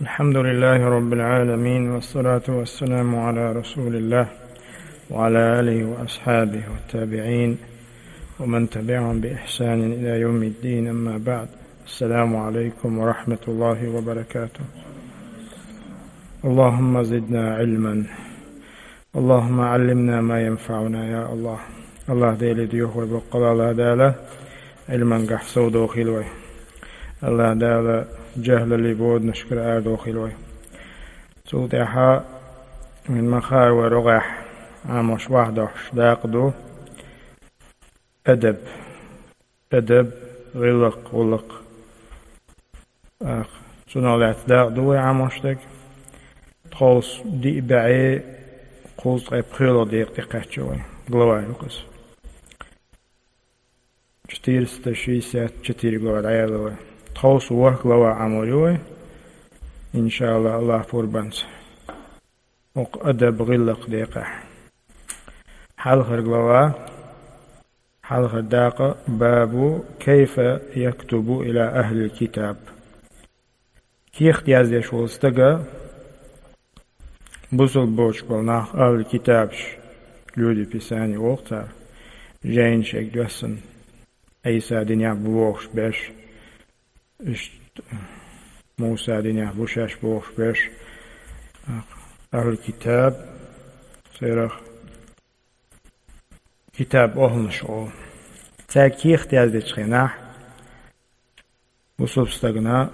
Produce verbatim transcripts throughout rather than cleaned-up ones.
الحمد لله رب العالمين، والصلاة والسلام على رسول الله وعلى آله وأصحابه والتابعين ومن تبعهم بإحسان إلى يوم الدين، أما بعد. السلام عليكم ورحمة الله وبركاته. اللهم زدنا علما. اللهم علمنا ما ينفعنا يا الله. АллахӀ Деле доьху вай боккъала, АллахӀ Дала Ӏилмангахь совдохийла вай. АллахӀ Дала жахӀлаллин боданашкара арадохийла вай. Цул тӀаьхьа вайн ма-хаара вай рогӀехь Ӏамош вахдохьуш дакъа ду адаб. Адаб, гӀиллакх, гӀуллакх. Ах, цунах лаьцна дакъа ду вай Ӏамош дерг. Тховса диъ бӀаьи кхузткъе пхоьалгӀа декъа тӀекхаьчна вай. Глава ю-кх из. Четыреста шестьдесят четыре глава дӀаяьлла вай. Тховса ворхӀ глава Ӏамор ю вай. ИншааллахӀ, АллахӀ пурбанца. ХӀокху адаб, гӀиллакх декъехь. Хьалхара глава, хьалхара дакъа, бабу كيف يكتب إلى أهل الكتاب. Кехат яздеш волу стага бусалба боцуш болу нах, ахӀлул-китабаш, люди Писания олу цара, жайна шайга доьссина, Ӏийса динехь бу бохуш берш, иштта Муса динехь бу шаьш бохуш берш, ахӀлул-китаб, церах китаб охӀланаш олу. Цаьрга кехат яздечу хенахь, бусалба стагана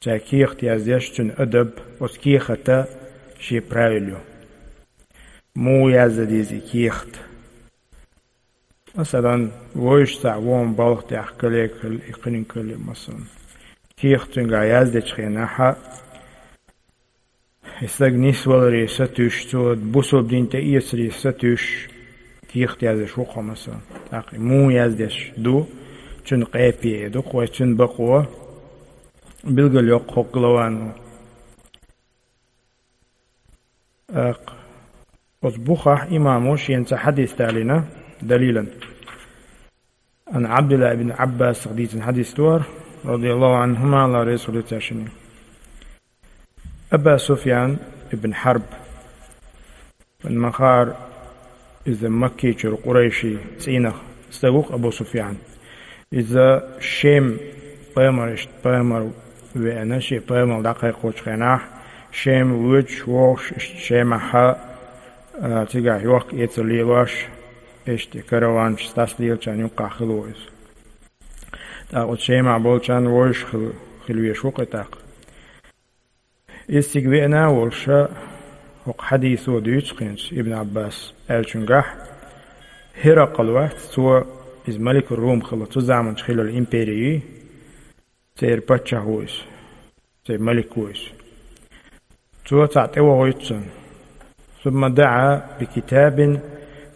цаьрга кехат яздеш, цуьнан адаб, оцу кехата шен правил ю. Муха яздан деза и кехат? Масалан, вовшашца вон балха тӀехь кале а калли, и кхиниг калли, масалан. Кехат цуьнгахь яздечу хенахь, и стаг нисваларе сатуьйсуш, цо бусалба дин тӀеэцаре сатуьйсуш, кехат яздеш ву-кх хьо, масалан. ТӀаккха и муха яздеш ду, цуьнан къепе а ду-кх вай, цуьнан бакъо билгалйо-кх хӀокху главано. ТӀаккха оцу бухахь имамо шена цхьа хьадис далийна далилан. Ан Ӏабдулла ибн Ӏаббасах дийцина хьадис ду хӀара, радияллаху Ӏанхума, АллахӀ реза хуьлда цаьршинна. Аба Суфьян ибн Хьарб, вайн ма-хаара, иза Маккичуьра къурайшийн цӀийнах стаг ву-кх Абу Суфьян. Иза Шем пайхамаршна пайхамар веана, шен пайхамар дӀакхайкхочу хенахь, Шем воьдуш вогӀуш, иштта Шемахьа, а, цигахь йохка-эцар лелош, иштта караванаш, стас лелачарна юккъахь хилла ву иза. ТӀаккха оцу Шемахь болчарна вовшах хила, хила везаш ву-кх и тӀаккха. Иза цига веана а волуш, хӀокху хьадисо дуьйцу хӀинца Ибн Ӏаббас аьллачуьнгахь, ХӀиракъал вац, цо, иза Маликур-Рум хилла, цу заманчохь хиллал импери ю, церан паччахь ву иза, церан малик ву иза. Цо цхьаъ тӀевохуьйту цунна. ثم دعا بكتاب،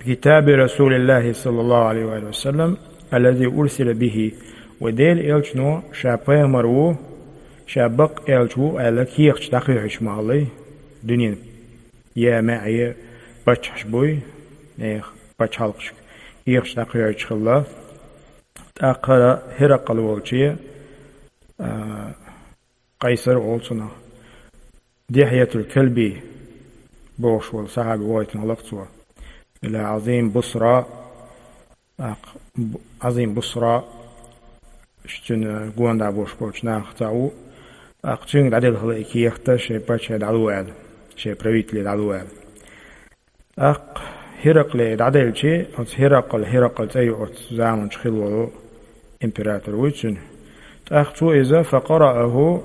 بكتاب رسول الله صلى الله عليه وآله وسلم الذي أرسل به. Вайн Делан элчано ша пайхамар ву, ша бакъ элча ву аьлла, кехаташ дӀакхоьхьуьйтуш ма хиллий, дуьненан я маьӀе паччахьаш буй, нехан пачхьалкхашка кехаташ дӀакхоьхьуьйтуш хилла. ТӀаккха хӀара ХӀиракъал волче, а, Къайсар олу цунах. Дихьятул Калби бохуш волу сахьаби вохуьйтина хилла-кх цо. Ила Ӏазим Бусра, тӀаккха Б-, Ӏазим Бусра, цуьнан гонаха болуш болчу нахах цхьаъ ву, тӀаккха цуьнга дӀаделла хилла и кехат, шайн паччахье дӀало аьлла, шайн правителе дӀало аьлла. ТӀаккха ХӀиракъле дӀаделчи, оцу ХӀиракъал, ХӀиракъал цӀе ю оцу заманчохь хилла волу император вуй цуьнан. ТӀаккха цо иза, فقرأه,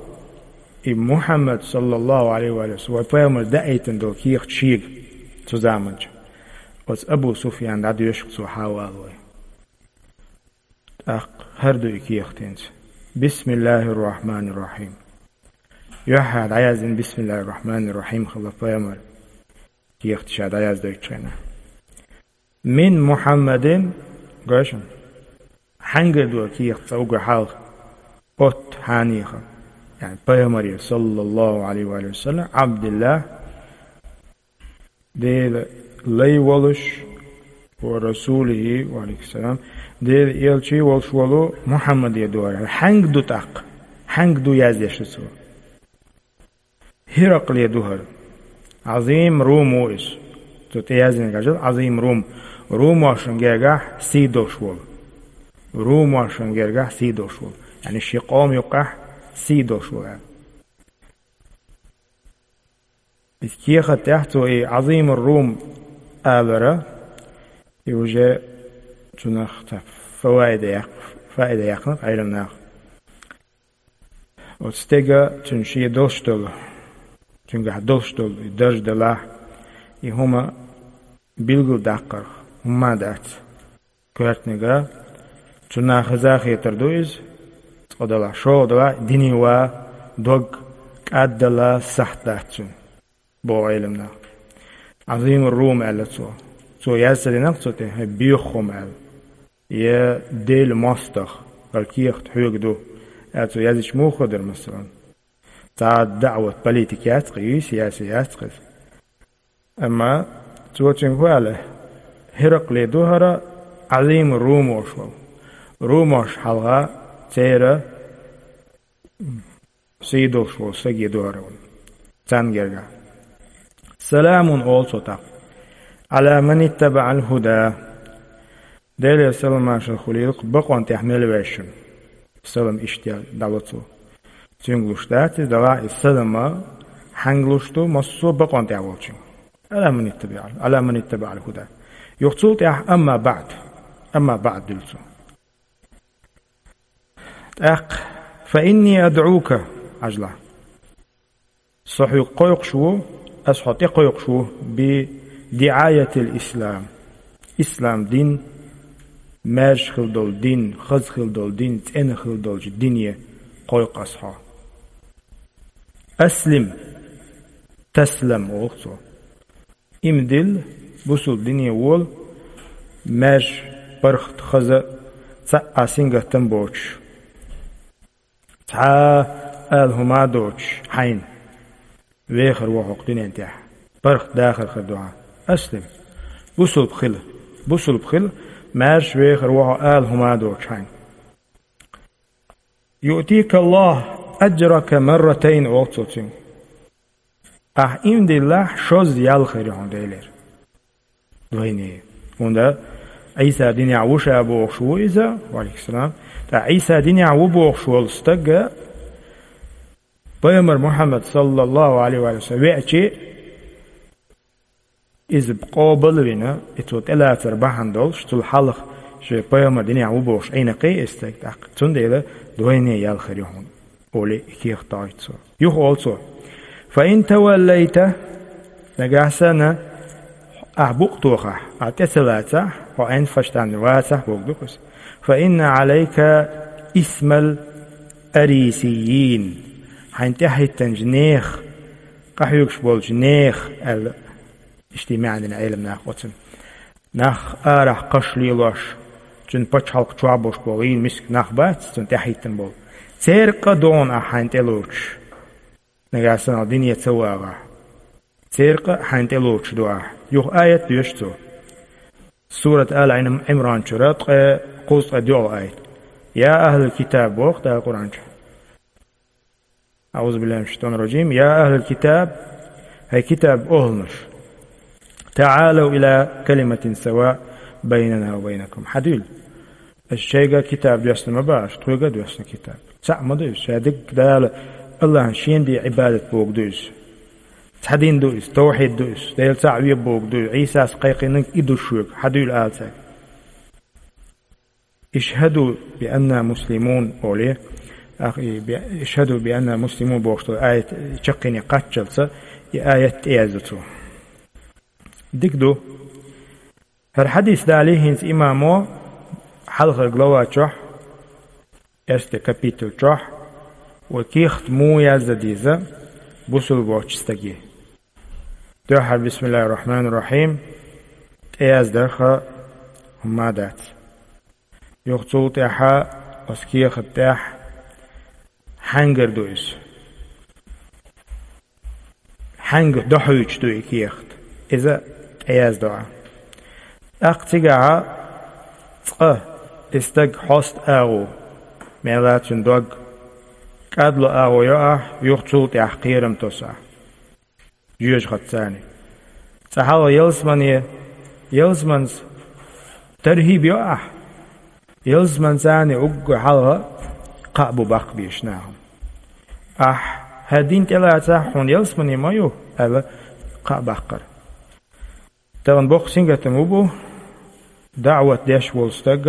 и Мухьаммад, саллаллаху Ӏалайхи ва саллам, вайн пайхамара даийтина долу кехат шега цу заманчохь. Оцу Абу Суфьяна дӀадоьшу-кх цо хьавалой. ТӀаккха хӀара ду и кехат хӀинца. بسم الله الرحمن الرحيم. Юьхьа дӀаяздина بسم الله الرحمن الرحيم хилла пайхамара кехат ша дӀаяздойтучу хенахь. من محمد, гой шуна, хьаьнгара ду кехат цӀа уггар хьалха, от хьанехан, яъни пайхамаре, саллаллаху Ӏалайхи ва саллам, Ӏабдиллах, Делан лай волуш, ва расулихӀи, ва Ӏалайкум салам, Делан элчий волуш волу Мухьаммаде ду хӀара. Хьаьнга ду тӀаккха? Хьаьнга ду яздеш ду цо? ХӀиракъле ду хӀара. Ӏазим Рум ву иза. Цу тӀе яздина гажал Ӏазим Рум. Румошна гергахь сий долуш волу. Румошна гергахь сий долуш волу. Яъни шен къоман юккъехь сий долуш волу аьлла. Иза кехат тӀехь цо и Ӏазим Рум алара, и уже цунах цхьа фаваида яккха, фаида яьккхина Ӏеламнаха. Оцу стега цуьнан шен долуш долу, цуьнгахь долуш долу и дарж далахь, и хӀума билгал даккхарх, хӀумма дац. Коьртаниг, цунна хеза хетар ду иза, цкъа далахь, шолгӀа далахь, динан ва, дог кӀаддала сахьт дац цуьнан, боху Ӏеламнаха. Ӏазим Рум аьлла цо. Цо яз ца динарх цу тӀе, хӀай боьха хӀума аьлла. Я Делан мостагӀа, хӀара кехат хьоьга ду, аьлла цо яздича муха хир дара, масалан? Цхьа а даӀват, политика яц-кх, йийса яц, яц-кх иза. Амма цо цуьнга хӀу аьлла: ХӀиракъле ду хӀара Ӏазим Румош волу. Румош хьалха церан сий долуш волу стаге ду хӀара ван. Царна гергахь. Саламун, олу цо тӀаккха. Ӏала ман иттабаӀал хӀуда. Делера салам-маршалла хуьлийла-кх бакъонан тӀехь мел ваьшна. Салам иштта дӀало цо. Цуьнга луш дац иза, далахь иза салама хьаьнга луш ду, массо а бакъонан тӀехь волчуьнга. Ӏала ман иттабаӀал, Ӏала ман иттабаӀал хӀуда. Юха цул тӀаьхьа амма баӀд. Амма баӀд дуьллу цо. ТӀаккха, фа инни адӀука, Ӏажла. Со хьоьга кхойкхуш ву, ас хьо тӀекхойкхуш ву, би диӀаятил ислам. Ислам дин, маьрша хила долу дин, хаза хила долу дин, цӀена хила долчу дине кхойкху ас хьо. Аслим, таслам, олу цо. Иман дилла, бусулба дине вола, маьрша, паргӀат, хаза, цхьа а сингаттам боцуш. Цхьа а ала хӀума а доцуш хьайна. Вехар ву хьо кху дуьнен тӀехь. ПаргӀат, дахар хир ду хьан. Аслим. Бусулба хила. Бусулба хила, маьрша вехар ву хьо ала хӀума а доцуш хьайна. Юътика Аллаху аджрака марратайн, олу цо цуьнга. Ахь иман диллахь, шозза ял хир ю хьуна Делера. Вайне. ХӀунда Ӏийса динехь ву ша бохуш ву иза, ва алейкум салам. ТӀаккха Ӏийса динехь ву бохуш волу стаг, пайхамар Мухьаммад, саллаллаху алейхи ва саллям, веачи, иза къобал а вина, и цо тӀелацар бахьана долуш, цул хьалха шен пайхамар динехь ву бохуш Ӏийна кхин и стаг тӀаккха. Цундела вайне ял хир ю хьуна. Олий, и кехат дӀахӀотту цо. Юха олу цо: «Фа ин таваллайта», нагахь санна ахь букъ тохахь, ахь тӀе ца лацахь, хьо Ӏен фаштан вацахь, боху ду кхуьс. «Фа инна Ӏалайка исмал арисиййин». Хьайн тӀаьхьахӀиттинчу нехан, къахьоьгуш болчу нехан аьлла. Иштта и маьӀна дина Ӏеламнаха оцунна. Нах арахь кхаш лелош, цуьнан пачхьалкх чохь болуш болу, вийна миска нах бац, цунна тӀаьхьахӀиттина болу. Церан къа догӀу ахь хьайн тӀе лоцуш. Нагахь санна дине ца вагӀахь. Церан къа хьайн тӀе лоцуш ду ахь. Юха аят доьшу цо. Сурат Ала Ӏимран чуьра ткъе кхузткъе доьалгӀа аят. «Я ахӀлал китаб», боху Дала Къуръан чу. أعوذ بالله من الشيطان الرجيم. يا أهل الكتاب، хӀай китаб охӀланаш. تعالوا إلى كلمة سواء بيننا وبينكم. Хьадуьйла. Ас шайга китаб доьссина ма бац, тхоьга а доьссина китаб. Цхьаъ ма ду иза, ша дерг Дала, Аллахьна шена де Ӏибадат бохург ду иза. Цхьа дин ду иза, тавхьид ду иза, Дела цхьаъ ве бохург ду иза, Ӏийсас кхайкхинарг и ду шуьга, хьадуьйла ала цаьрга. «Ишхаду би анна муслимун», олий, ах, и би-, «Ишхаду би анна муслимун» бохуш долу аят чаккхене кхаччалца, и аят тӀеязду цо. Дика ду. ХӀара хьадис далий хӀинца имамо хьалхара глава чохь, эрсте капитал чохь, вай кехат муха яздан деза бусулба воцчу стаге. Дуьххьара, бисмиллахир-рахманир-рахим, тӀеяздарх хӀумма дац. Юха цул тӀаьхьа оцу кехат тӀехь хьаьнгара ду иза. Хьаьнга дохьуьйтуш ду и кехат. Иза тӀеяздо ахь. ТӀаккха цигахьа цкъа и стаг хьоста агӀо, мела цуьнан дог, кӀадло агӀо йо ахь, юха цул тӀаьхьа кхерам тосу ахь. Жоьжахатица. Цкъа хьалха ялсамане, ялсаманца таргӀиб йо ахь. Ялсаманца уггар хьалха кхаъ бу баккха безаш нахана. Ахь хӀара дин тӀелацахь, хьуна ялсамане ма ю, аьлла, кхаъ баккхар. Тахана боккха сингаттам хӀун бу, даӀват деш волу стаг,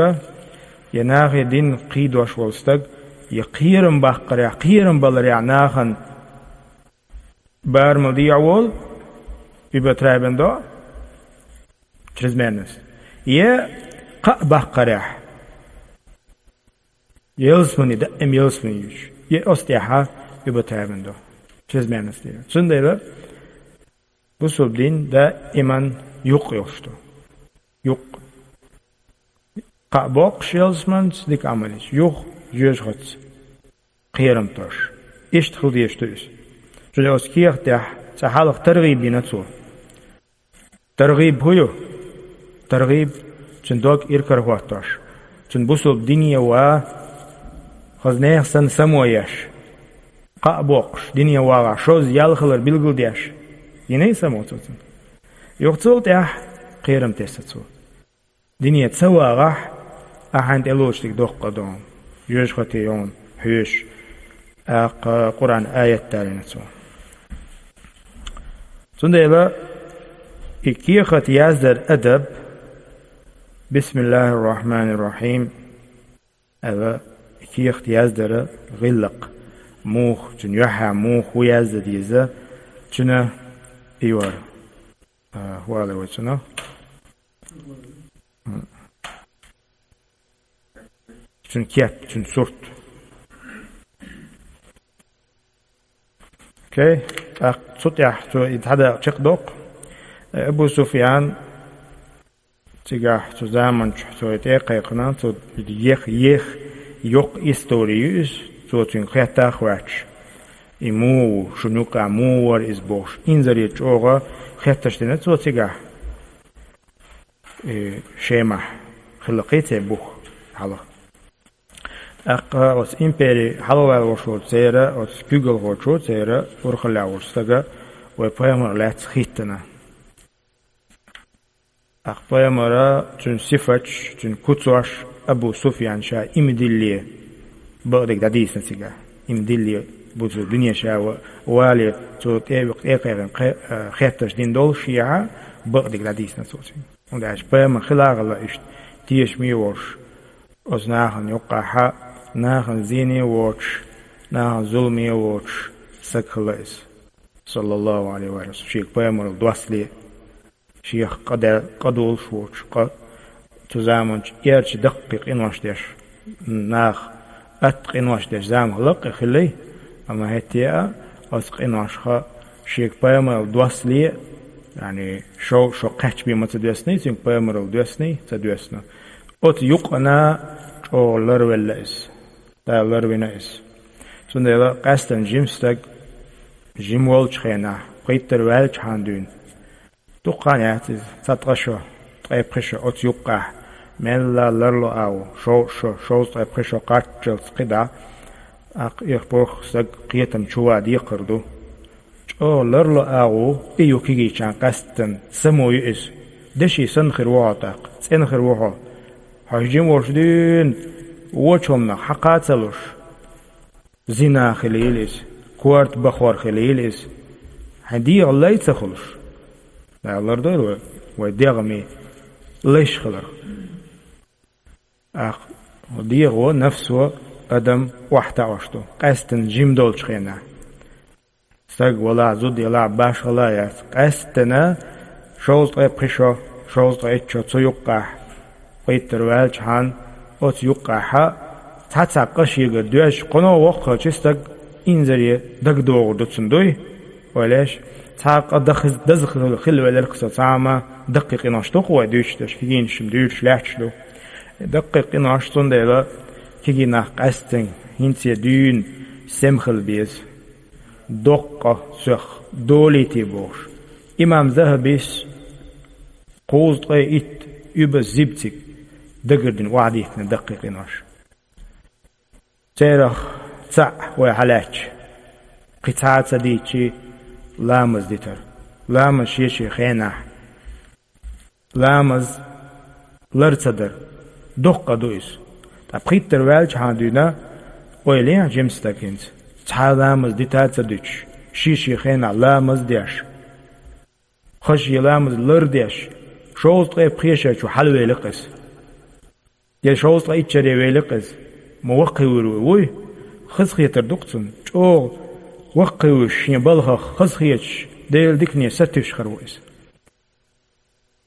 я нахе дин кхийдош волу стаг, я кхерам баккхарехь, кхерам баларехь нахана барамал дехьа волу, übertreiben до, чрезмерность. Я кхаъ баккхарехь, ялсамане, даим ялсамане юьйцуш. Я оцу тӀехь а übertreiben до, чрезмерность. Цундела бусулба дин даиман юкъ йолуш ду. Юкъ. Кхаъ боккхуш ялсаманца дика Ӏамал еш, юха жоьжахатица кхерам тош. Иштта хила дезаш ду иза. Цундела оцу кехатехь цкъа хьалха таргӀиб йина цо. ТаргӀиб хӀун ю? ТаргӀиб, цуьнан дог иракарахӀоттош, цуьнан бусулба дине ван, хаза нехан санна само еш, кхаъ боккхуш, дине вагӀахь, шозза ял хилар билгалдеш. Йиний само цо цуьнан? Юха цул тӀаьхьа кхерам тесна цо. Дине ца вагӀахь, ахьа тӀелоцуш дерг доккха ду хьуна, жоьжахате йо хьуна хьоьжуш, тӀаккха Къуръан аят далийна цо. Цундела и кехат яздар адаб, бисмиллахӀир-рахьманир-рахьим аьлла, и кехат яздар гӀиллакх муха, цуьнан юьххьехь муха хӀун яздан деза, цуьнан и вара. А, хӀун олу вай цунах? Цуьнан кеп, цуьнан сурт. Окей? ТӀаккха цу тӀехь цо и цхьа дакъа чекхдоккху. Э, Абу Суфьян, цигахь цу заманчохь цо и тӀе а кхайкхина, цо ех, ех, йоккха истори ю иза, цо цуьнга хетта а хоьттуш, и муха ву, шуна юкъахь муха вара иза бохуш, инзаре чӀогӀа хеттарш дина цо цигахь. И Шемахь хилла кхин цхьа бух хьалха. ТӀаккха оцу импери хьалаваьлла волуш волчу церан, оцу куьйгалхочо церан урхаллехь волчу стага вай пайхамар лаьцна хӀиттина. ТӀаккха пайхамара, цуьнан сифаташ, цуьнан куцош Абу Суфьян ша иман диллале бакъдерг дӀадийцина цигахь. Иман диллале бусулба дине ша ва-, вале, цо тӀе а юкъа тӀе а кхайкхина кхе-, а, хеттарш дина доллушехь, бакъдерг дӀадийцина цо цуьнга. ХӀунда аьлча пайхамар хила а хилла иштта тешаме а волуш, оцу нахана юккъехь а, нахана зене а воцуш, нахана зуламе а воцуш, саг хилла иза. Саллаллаху Ӏалайхи ва саллам, шега пайхамаралла доссале, шех къа де-, къа долуш воцуш, къа цу заманчу эрча даккхий къинош деш, наха атта къинош деш зама лаккъе хилла, амма хӀетте а оцу къиношха шега пайхамаралла доссале, яъни шо, шо кхаьчбе ма ца доьссиний, цуьнга пайхамаралла доьссиний, ца доьссина. Оцу юкъана чӀогӀа ларвелла иза. Дала ларвина иза. Цундела къаьстина жима стаг, жима волчу хенахь, пхийттара ваьлчхьана дуьйна, дукха хан яц иза, цхьа ткъа шо, ткъе пхи шо оцу юккъехь, мелла ларло агӀо, шовзткъа шо, шовзткъе пхи шо кхаччалц кхидӀа, тӀаккха и пурх стаг кхетам чу ван декхар ду. ЧӀогӀа ларло агӀо и ю кегийчарна къаьсттина, само ю иза. Деши санна хир ву хьо тӀаккха, цӀена хир ву хьо. Хьо жима волуш дуьйна вочу хӀуманах хьакха а ца луш, зина хилийла иза, корта бахор хилийла иза. Хьайн дегӀан лай ца хуьлуш. Дала лардойла вай, вай дегӀан лайш хиларх. ТӀаккха дегӀо, нафсо адам охьатаӀош ду, къаьсттина жима долчу хенахь. Стаг валахь, зуда ялахь, башхалла а яц, къаьсттина шовзткъе пхи шо, шовзткъе итт шо цу юккъехь, пхийттара ваьлчхьана, оцу юккъехьа цхьа-цхьа къа шегара доьжча, кхуьно воккхачу стаг инзаре дагадогӀур ду цунна, дуй? Ойла еш, цхьа къа даха-, даза хила, хила велира-кх со, цхьа а ма даккхий къинош ду-кх вай дуьйцуш дерш, кегийнаш-м дуьйцуш лаьтташ ду. Даккхий къинош, цундела кегий нах къаьсттина хӀинца дуьйна сема хила беза. Доккха цох долийте бохуш. Имам Захабис кхузткъе итт, уьбаз зибциг дагардина охьадиттина даккхий къинош. Церах цхьаъ вай хьалаьцча, кхин цхьа а ца дийцчи, ламаз дитар. ламаз шен-шен хенахь. Ламаз лар ца дар. Доккха къа ду иза. Ткъа пхийттара ваьлча хьан дуьйна, ойла е жима стаг хӀинца. Цхьа ламаз дита а ца дуьтуш, шен-шен хенахь ламаз а деш. Хаза шен ламаз лар а деш, шовзткъе пхе шарчу хьалавелира иза. Я шовзткъе итт шаре велира иза. Ма ваккхий вуй, вуй? Хазахетар ду-кх цунна. ЧӀогӀа ваккхий вуй, шен балхах хазахеташ, Делан дикане сатуьйсуш хир ву иза.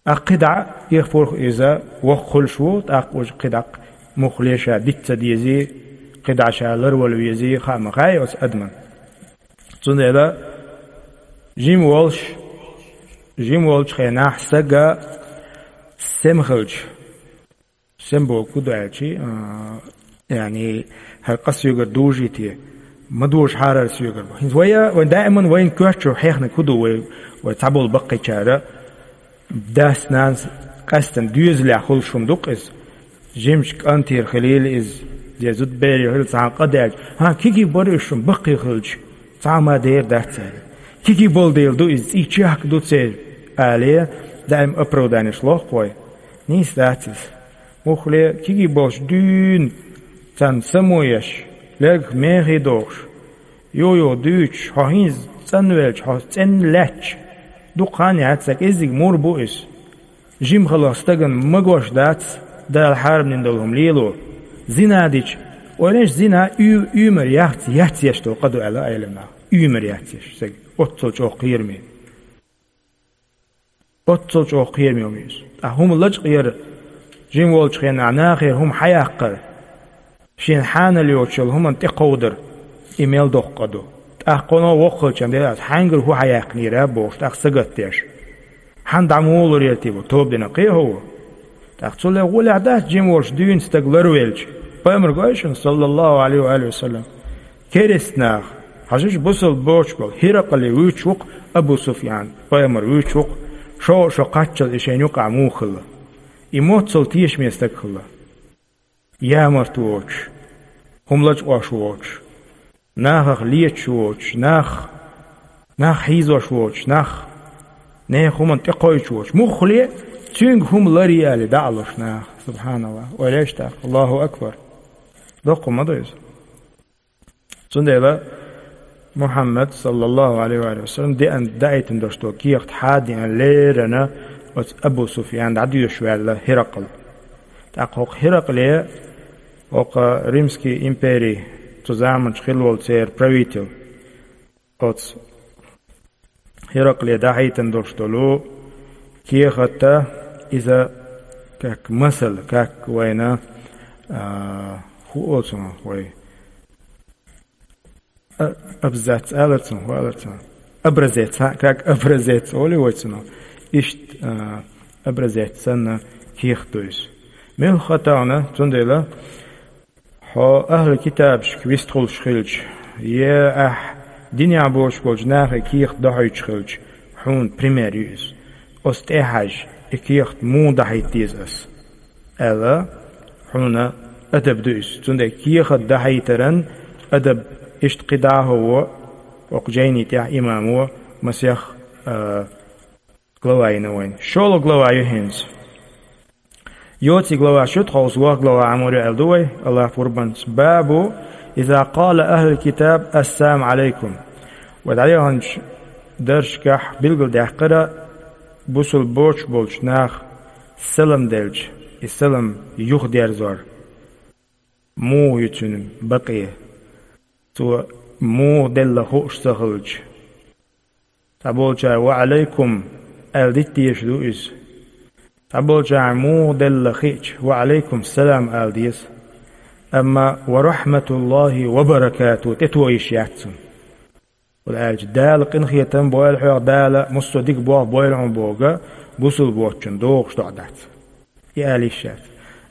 ТӀаккха кхидӀа а, тӀехпурх иза воккха хуьлуш ву, тӀаккха уьш кхидӀа а муххале ша диц ца дезий, кхидӀа ша ларвала везий, хаа ма хаьа оцу адамна. Цундела жима волуш, жима волчу хенахь стага сема хилча, сема бохург хӀун ду аьлча, а, яъни, хӀара къа соьгара дужий те, ма дужахьара хӀара соьгара боху. ХӀинца вай, вайн даиман вайна коьрта чу хьехнарг хӀун ду вай, вай цхьаболу баккхийчара, дас-нанас къаьстина доьзалехь хуьлуш хӀума ду-кх иза. Жимачу кӀантера хилийла иза, я зудаберера хилла цхьана къа даьлча, хӀан, кегий бара уьш шуна баккхий хилча, цхьа а ма дера дац церан. Кегий болу дела ду иза, цӀий чехка ду церан, алий, даим оправданеш лоху-кх вай. Нийса дац иза. Муххале кегий болуш дуьйна царна само еш, лергах мехий дохуш, юха-юха дуьйцуш, хьо хӀинца цӀанвелча, хьо цӀена лаьтташ, дукха хан яц, сан кӀеззиг мур бу иза. Жима хиларх стагана магош дац Дала хьарамдина долу хӀума лело. Зина дича, ойла еш, зина уьй-, уьймар яц, яц еш долу къа ду аьлла Ӏеламнаха. Уьймар яц еш, стаг оццул чӀогӀа кхераме. Оццул чӀогӀа кхераме хӀума ю иза. Ткъа хӀума лачкъа яр, жима волчу хенахь нахера хӀума хьаяккхар, шена хьанал йоцуш йолу хӀуманна тӀекховдар, и мел доккха къа ду. ТӀаккха кхуно воккхалчам дела аса, хьаьнгара хӀун хьаяьккхинера бохуш, тӀаккха сагатдеш. Хьан дӀа муха лур яра те бу, тоба дина кхехьо ву. ТӀаккха цул гӀолехь дац жима волуш дуьйна стаг ларвелча. Пайхамар гой шуна, саллаллаху Ӏалайхи ва алихи ва саллам, керста нах, хьажаш, бусалба боцуш болу Хиракъале вуьйцуш ву-кх Абу Суфьян, пайхамар вуьйцуш ву-кх, шо, шо кхаччалц и шайна юкъахь муха хилла. И моццул тешаме стаг хилла. Ямарта воцуш, хӀума лачкъош воцуш, нахах леташ воцуш, нах, нах хьийзош воцуш, нах, нехан хӀуманна тӀекхойчу воцуш. Муххале цуьнга хӀума ларъе аьлла дӀа а луш наха. СубхьаналлахӀ. Ойла еш тӀаккха. Аллаху акбар. Доккха ма ду иза. Цундела Мухьаммад, саллаллаху Ӏалайхи ва саллам, деана даийтина долуш долу кехат хьадеана леррина оцу Абу Суфьян дӀадоьшуш ваьлла Хиракъал. ТӀаккха хӀокху Хиракъле, хӀокху Римский импери цу заманчу хилла волу церан правитель, оцу Хиракъле дӀахьийтина долуш долу кехат, иза как масал, как вайна, а, хӀун олу цунах вай? А, абзац алар цунах, хӀун алар цунах? Образец, хӀа, как образец олу вай цунах. Иштта, а, образец санна кехат ду иза. Муьлха хӀун ду, цундела, хьо ахьлу китабашка вистхуьлуш хилча, я ахь динехь боцуш болчу нахе кехат дохьуьйтуш хилча, хьуна пример ю иза. Оцу тӀе а хьаьжжа, и кехат муха дахьийта деза ас, аьлла, хьуна адаб ду иза. Цундела кехат дахьийтаран адаб иштта кхидӀа а хӀо, хӀокху жайни тӀехь имамо масех, а, глава йина вайна. ШолгӀа глава ю хӀинца. Йоций глава шу тховса ваха глава Ӏамор ю аьлла ду вай, Аллах пурбанца. Бабу, иза къала ахьлул китаб, ассалам Ӏалайкум. Вай дӀаяханчу даршкахь билгалдаьккхира, бусул боцуш болчу нах салам делча, и салам юхадерзор. Муха ю цуьнан бакъе? Цо муха делла хууш ца хилча. Цхьаболчара «Ва Ӏалайкум» аьлла дита дезаш ду иза. Цхьаболчара муха делла хиъча, «Ва Ӏалайкум салам» ала деза. Амма «Ва рахьматуллахи ва баракату» тӀето йиш яц цунна. ХӀунда аьлча Дала къинхетам бойла хьох, Дала массо а дика болх бойла хьуна бохург бусул боцчунна догӀуш доӀа дац. И ала йиш яц.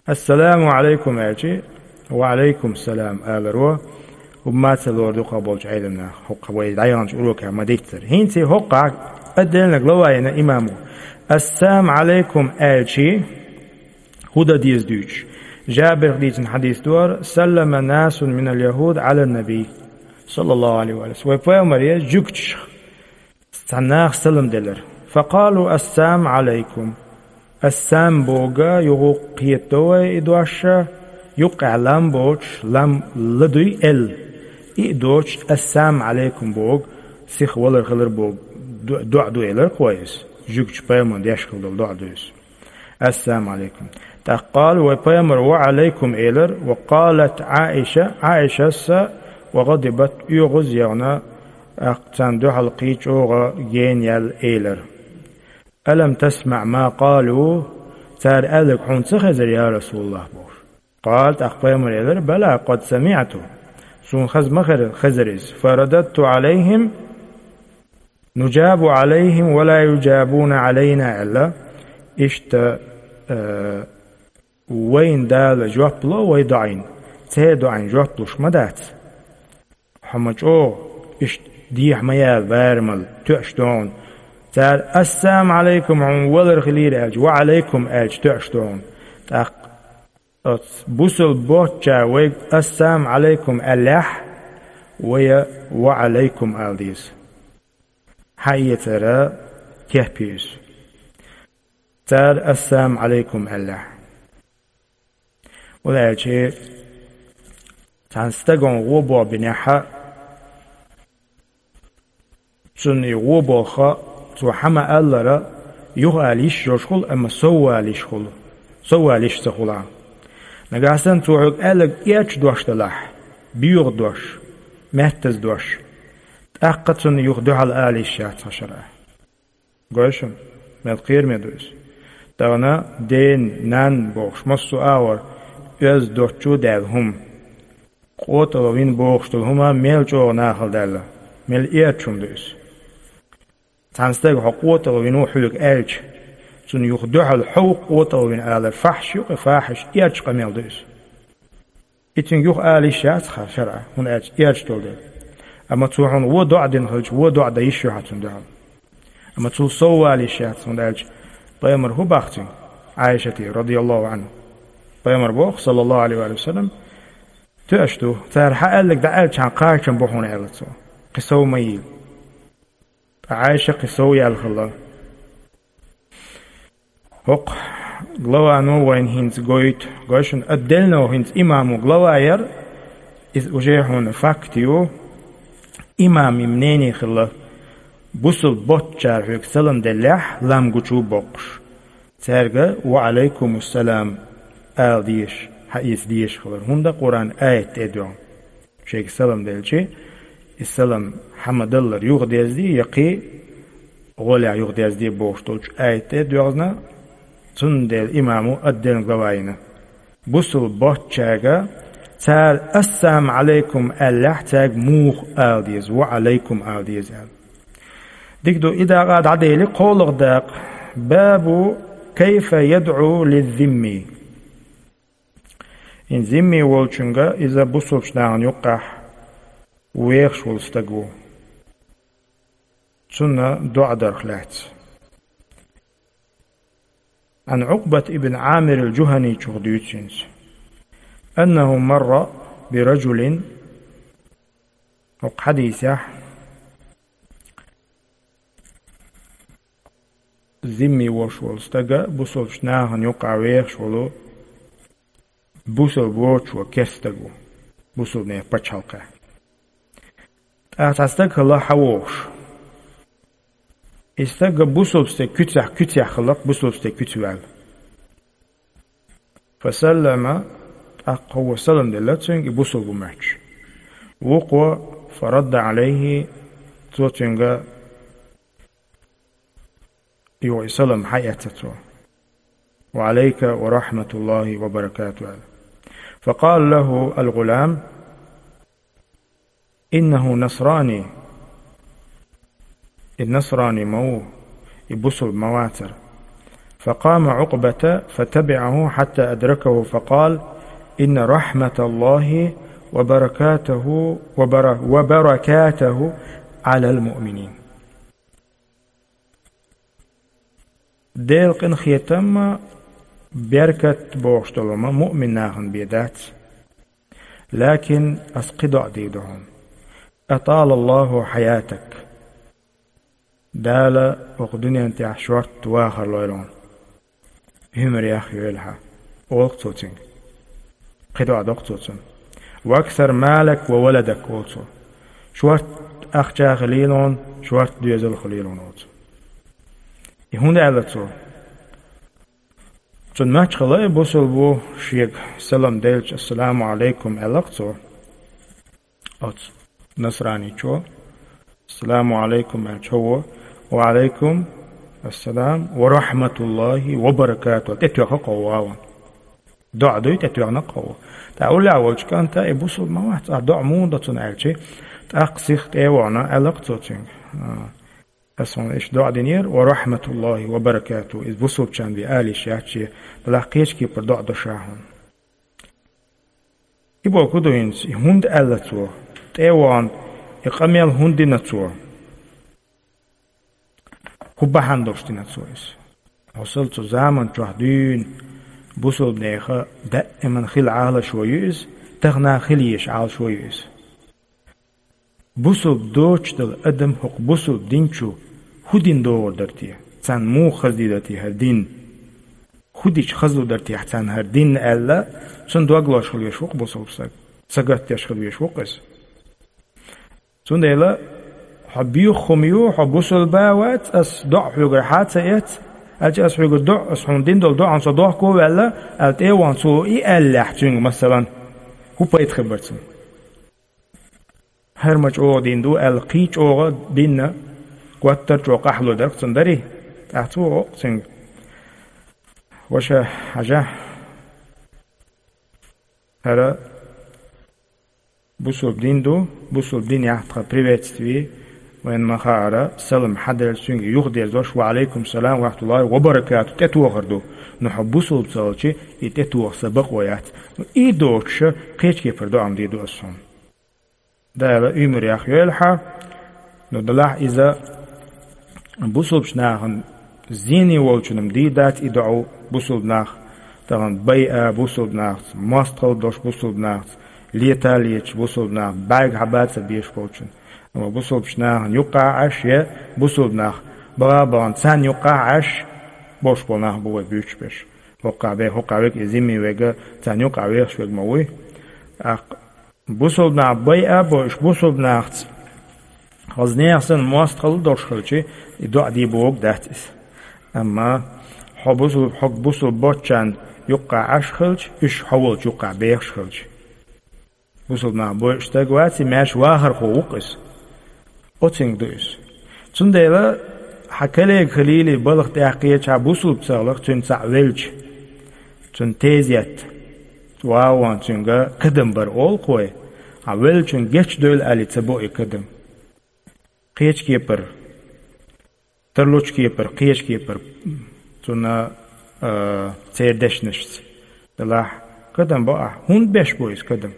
«Ассаламу Ӏалайкум» аьлча, «Ва Ӏалайкум салам» аларо, хӀумма ца лору дукхах болчу Ӏеламнаха, хӀокху вай дӀаяханчу урокехь ма-дийццара. ХӀинца хӀокхахь отдельно глава йина имамо. «Ассалам Ӏалайкум» аьлча, хӀун дан деза дуьйцуш? Жабирах дийцина хьадис ду хӀара: «Саллама насун минал яхуд Ӏалан набий, саллаллаху Ӏалайхи ва саллам». Вай пайхамаре жуьгташа Цхьана наха салам делира. «Факъалу: ассаму алайкум». Ассам бохург юха кхетадо вай и дош, юккъехь лам боцуш, лам ладуй, эл. И а доцуш, «ассаму алайкум» бохург сиха валар хилар боху до-, доӀа ду элира кхо иза. Жуьгтичу пайхамарна деш хилла долу доӀа ду иза. «Ассаму алайкум». ТӀаккха къала вай пайхамар: «Ва алайкум», элира, ва къалат Ӏаиша, Ӏаишас а, ва гӀадибат, оьгӀаз а яхна, тӀаккха царна дуьхьал кхин чӀогӀа гена яьлла элира: «Алам тасмаӀ ма къалу?» Цара аьлларг хьуна ца хезара, я Расулаллах, бохуш. Къала, тӀаккха пайхамар элира: «Бала, къад самиӀту». Суна хаза ма хезара, хезара иза. «Фарададту алайхим, нуджабу алайхим ва ла юджабуна алайна», аьлла. Иштта, э, вайна Дала жоп ло вай доӀина, церан доӀина жоп луш ма дац. Хьо ма чӀогӀа, иштта дехьа ма яла барамал, тоьаш ду хьуна. Цара: «Ассаму алайкум», хьуна валар хилийра аьлча, «Ва алайкум», аьлча, тоьаш ду хьуна. ТӀаккха оцу бусалба боцчара вайга «Ассаму алайкум» аьллехь, вай а «Ва алайкум» ала деза. Хьаэцара кеп ю иза. Цара «Ассаму алайкум» аьллехь. ХӀунда аьлча цхьана стагана гӀо боху бинехь, цунна и гӀо болх, цо хьан ма-аллара, юха ала йиш йолуш хуьлу, амма сов ала йиш хуьлу. Сов ала йиш ца хуьлу. Нагахь санна цо хьоьга аьлларг эрча дош делахь, боьха дош, маьттаза дош, тӀаккха цунна юха дуьхьал ала йиш яц хьан шарахь. Гой шуна, мел кхераме ду иза. Тахана ден, нан бохуш, массо а агӀор оьзда доцучу а даьлла хӀума. КъотӀалла вина бохуш долу хӀума мел чӀогӀа нахала даьлла, мел эрча хӀума ду иза. Цхьана стага хьо къотӀалла вина ву хьоьга аьлча, цунна юха дуьхьал хьо ву къотӀалла вина алар фахьш ю, кхин фахьиш, эрча къамел ду иза. И цуьнга юха ала йиш яц хьан шарахь, хӀунда аьлча эрча долу дела. Амма цо хьуна вон доӀа дина хилча, вон доӀа дан йиш ю хьан цунна дуьхьал. Амма цул сов ала йиш яц, хӀунда аьлча пайхамар хӀун боху цуьнга, Ӏайшате, радияллаху Ӏанха. Пайхамар боху, саллаллаху Ӏалайхи ва саллам: «Тоьаш ду, цара хьан аьлларг дӀааьлча, хьан кхачам бу хьуна», аьлла цо. Кхин сов ма йийла. Ткъа Ӏайша кхин сов яьлла хилла. ХӀокху главано вайна хӀинца гойту, гой шуна, отдельно хӀинца имамо глава яра, иза уже хьуна факт ю, имам и мнение хилла, бусалба боцчара хьоьга салам деллехь, лам гучу боккхуш, цаьрга «Ва алайкумуссалам» ала дезаш, хьаэца дезаш хилар, хӀунда Къуръан аят тӀе а доьгӀна. Шайга салам делчи, и салам хьан ма-даллара юхадезде, я кхин гӀолехь юхадезде бохуш долчу аят тӀе а доьгӀна, цундела имамо отдельно глава йина. Бусалба боцчаьрга цара «Ассаму алайкум» аьллехь, цаьрга муха ала деза, «Ва алайкум» ала деза аьлла. Дика ду, и дакъа дӀадели, кхоалгӀа дакъа. Бабу кайфа ядӀу лиззимми. ХӀинца зимми волчуьнга, иза бусалбачу нахана юккъехь вехаш волу стаг ву. Цунна доӀа дарх лаьцна. Ан Ӏукъбат ибн Ӏамир ал-Жуханичух дуьйцу хӀинца. Аннаху марра би ражулин, хӀокху хьадисехь, зимми волуш волу стага бусалбачу нахана юккъехь вехаш волу бусалба воцуш волу керста стаг ву, бусалбанийн пачхьалкхехь. ТӀаккха цхьа стаг хилла хьан вогӀуш. И стаг бусалба стеган куьцехь, куьцехь хилла, бусалба стеган куьцехь ваьлла. Фасаллама, тӀаккха хӀокхо салам делла цуьнга, и бусалба ву моьттуш. Вукхо, фарадда Ӏалайхи, цо цуьнга юха и салам хьаэцна цо. Ва Ӏалайка ва рахьматуллахи ва баракатуху аьлла. Факъала лаху ал-гӀулам: «Иннаху насрани». И насрани ма ву, и бусалба ма вацара. Факъама Ӏукъбата фатабиӀаху хьатта адракаху факъала: «Инна рахьматаллахи ва баракатаху, ва бара-, ва баракатаху Ӏалал муъминин». Делан къинхетам а, беркат бохуш долу ма муъмин нахана бен дац. Лакин ас кхин доӀа дийр ду хьуна. Аталаллаху хьаятак. Дала оха дуьнен тӀехь шорт вахар лойла хьуна. Уьмар яхъйойла хьан, олу-кх цо цуьнга. Кхин доӀа до-кх цо цунна. «Ваксар малак ва валадак», олу цо. Шорт ахча хуьлийла хьуна, шорт доьзал хуьлийла хьуна, олу цо. И хӀунда аьлла цо? Цунна моьттуш хилла и бусулба ву, шега салам делча, «Ассаламу Ӏалайкум», аьлла-кх цо. Оцу насраничо, «Ассаламу Ӏалайкум», аьлча, хьо ву, «Ва Ӏалайкум ассалам ва рахьматуллахӀи ва баракатухӀу», тӀетоьхна-кх хьо ву. ДоӀа дуй, тӀетоьхна-кх хьо ву. ТӀаккха уллехь волчу кӀанта и бусулба ма вац, ахь доӀа муха до цунна аьлча, тӀаккха сиха тӀе а вахана, аьлла-кх цо цуьнга: «А, аса хьуна иштта доӀа динера, ва рахьматуллахӀи ва баракатухӀу, иза бусулбачарна бен ала йиш яц шен, делахь кхечу кепара доӀа до ша хьуна». И бохург ду хӀинца, и хӀунда аьлла цо, тӀе а вахана, и къамел хӀунда дина цо? ХӀун бахьана долуш дина цо иза? Хьо сал цу заман чохь дуьйна бусулбанеха даиман хила Ӏалашо ю иза, тахана хила езаш Ӏалашо ю иза. Бусулба доцуш долу адам хӀокху бусулба дин чу хӀун дина догӀур дара те? Царна муха хаза дийр дара те хӀара дин? ХӀун дича хазалур дара техьа царна хӀара дин аьлла, цунна дог лозуш хила веш ву-кх бусулба стаг. Сагатдеш хила веш ву-кх иза. Цундела хьо боьха хӀума ю, хьо бусулба а вац, ас доӀа хьоьгара хьа а ца эцна, аьлча, ас хьоьгара доӀа, ас хьуна дина долу доӀанна со дохко а ваьлла, аьлла тӀе а вахана цо и аьллехь цуьнга, масалан, хӀун пайда хир бара цунна? ХӀара ма чӀогӀа дина ду аьлла, кхин чӀогӀа дина, гуттар а чӀогӀа къахьлур дара-кх цунна, дарий? ТӀаккха цо боху-кх цуьнга: «Ваша, хьажа, хӀара бусулба дин ду, бусулба динехь тхан приветствие, вайна ма-хаъара, салам хьаделча цуьнга юхадерзош, ва Ӏалайкум салам ва рахьматуллахӀи ва баракатухӀу тӀетохар ду, но хьо бусулба ца хилча, и тӀетоха сан бакъо яц. Но и доцуш, кхечу кепара доӀа ма дийр ду ас хьуна». Дала уьмар яхъйойла хьан, но делахь иза бусулбачу нахана зене волчунна ма дийр дац и доӀа, бусулба нах тахана байа бусулба нахаца, мостагӀалла долуш бусулба нахаца, лета а леташ бусулба нахаца, бӀаьрг хьаба а ца безаш болчунна. Амма бусулбачу нахана юккъахь Ӏаш я бусулба нах, баха а бахана царна юккъахь Ӏаш болуш болу нах бу вай буьйцуш берш. ХӀоккхахь бе-, хӀоккхахь верг и зимми верг, царна юккъахь вехаш верг ма вуй. ТӀаккха бусулба нах байа а бо, уьш бусулба нахаца хаза нехан санна мостагӀалла долуш хилча, и доӀа дийр бохург дац иза. Амма хьо бусулба, хьо бусулба боцчарна юккъахь Ӏаш хилча, уьш хьо волчу юккъахь бехаш хилча. Бусулба нах бойуш стаг вац и, маьрша вахархо ву-кх иза. Оцуьнга ду иза. Цундела хьан коллега хилийла, балха тӀаьхьакхеча, хьан бусулба ца хиларх, цуьнан цхьаъ велча, цуьнан тезет, ван а ван цуьнга кадам бар олу-кх вай. Хьан веллачунна гечдойла аьлла ца бо и кадам. Кхечу кепара, тарлучу кепара, кхечу кепара цунна, а, церан дешнашца. Делахь, кадам бо ахь. ХӀунда беш бу иза кадам?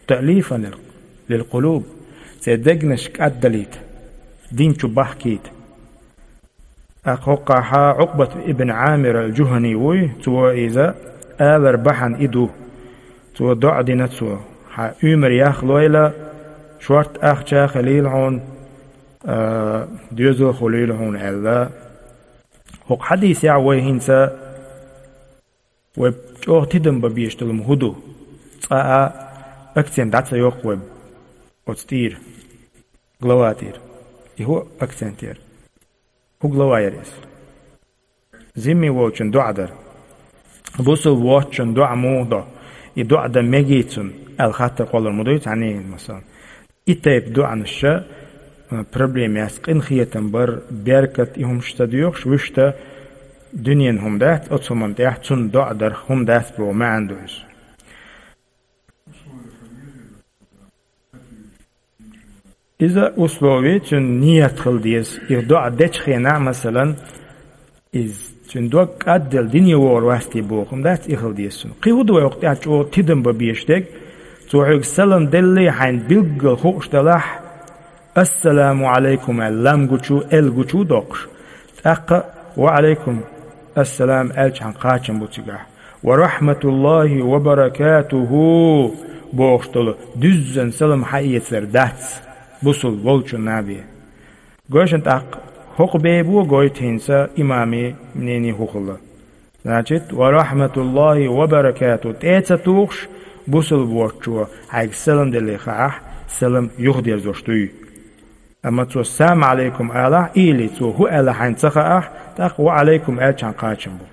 «Таълифан лил-, лил-къулуб». Церан дегнаш кӀаддалийта, дин чу бахкийта. ТӀаккха хӀоккхахь Ӏукъбат ибн Ӏамир ал-Жухани вуй, цо иза алар бахьана и ду. Цо доӀа дина цо: «Хьан уьмар яхлойла, шорта ахча а хилийла хьуна, а, доьзал а хуьлийла хьуна», аьлла. ХӀокху хьадисехь вай хӀинца, вай чӀогӀа тидам бан безаш долу хӀума хӀун ду? Цкъа а акцент дӀа ца йоккху вай оцу тӀера, глава тӀера. И хӀун акцент яра? ХӀун глава яра иза? Зимми волчун доӀа дара. Бусулба воцчун доӀа муха до? И доӀа дан мегий цунна аьлла хаттар кхоллар ма дуй цхьаннен, масалан. И тайпа доӀанаш, а, проблема яц, къинхетам бар, беркат, и хӀумаш ца доьхуш, вуьшта дуьненан хӀума дац, оцу хӀуманна тӀехь цунна доӀа дарх хӀума дац боху маьӀна ду иза. Иза условие, цуьнан ният хила деза. И доӀа дечу хенахь, масалан, иза цуьнан дог кӀадделла дине вогӀур вац те боху хӀума дац, и хила деза цуьнан. Кхин хӀун ду вай хӀокху тӀехь чӀогӀа тидам бан безаш дерг? Цо хьоьга салам деллий, хьайна билггал хууш делахь, «Ассаламу Ӏалайкум» аьлла, лам гучу, эл гучу доккхуш. ТӀаккха «Ва Ӏалайкум ассалам» аьлча, хьан кхачам бу цигахь. «Ва рахьматуллахӀи ва баракатухӀу» бохуш долу дуьззина салам хьаэцар дац бусулба волчунна бен. Гой шуна тӀаккха, ХӀокху бебо гойту хӀинца имамийн мнение хӀун хилла. Значит, «ва рахматуллахи ва баракату» тӀе ца тухуш, бусулба воцчо хьайга салам делла хаахь, салам юхадерзош дуй. Амма цо «Салам алейкум» алахь, или цо хӀун аьлла хьайна ца хаахь, тӀаккха «Ва алейкум» аьлча кхачам бу.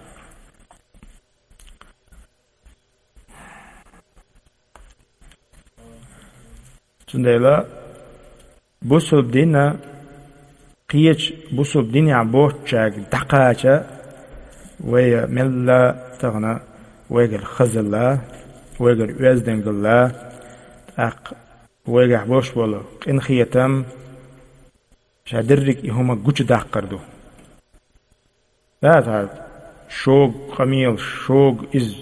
Цундела бусулба дина кхечу бусулба динехь боцучаьрга дӀакхача, вай мелла тахана вайгара хазалла, вайгара оьздангалла, тӀаккха вайгахь болуш болу къинхетам, ша дерриг и хӀума гучудаккхар ду. Да, тӀаккха шога къамелаш, шога иза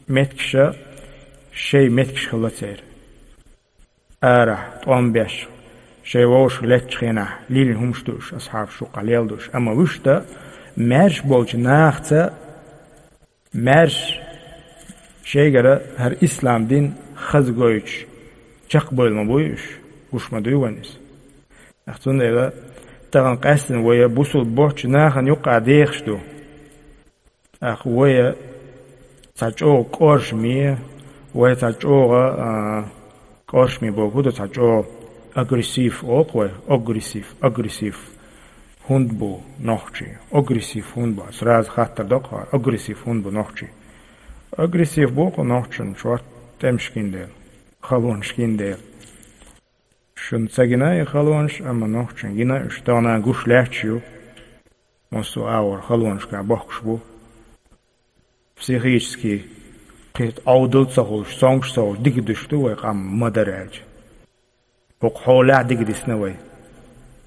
меттигаш, шайн меттигаш хилла церан. Арахь, тӀом беш, шайн вовшах леттачу хенахь, лилина хӀумаш ду уьш, асхьабаш юккъахь лелла ду уьш. Амма вуьшта, маьрша болчу нахаца, маьрша шайгара хӀара ислам дин хаза гойтуш, чекхбевлла ма буй уьш, гуш ма дуй вайна иза. Ах, цундела тахана къаьстина вай бусулба боцчу нахана юккъахь дехаш ду. Ах, вай цхьа чӀогӀа кӀоршаме, вай цхьа чӀогӀа, а, кӀоршаме боху ду, цхьа чӀогӀа агрессив олу вай, агрессив, агрессив. ХӀунда бу нохчий? Агрессив хӀунда бу? Сразу хаттар доккху, агрессив хӀунда бу нохчий? Агрессив бу кху нохчан шорта тӀемаш гина дела, халонаш гина дела. Шуна ца гина и халонаш, амма нохчан гина, уьш тахана гуш лаьтташ ю. Массо а агӀор халонашкахь бохкуш бу. Психически кхин Ӏовдал ца хуьлуш, цомгуш ца хуьлуш, дика дуьш ду вай къам ма-дарра аьлча. ХӀокху хьолехь дика дисна вай.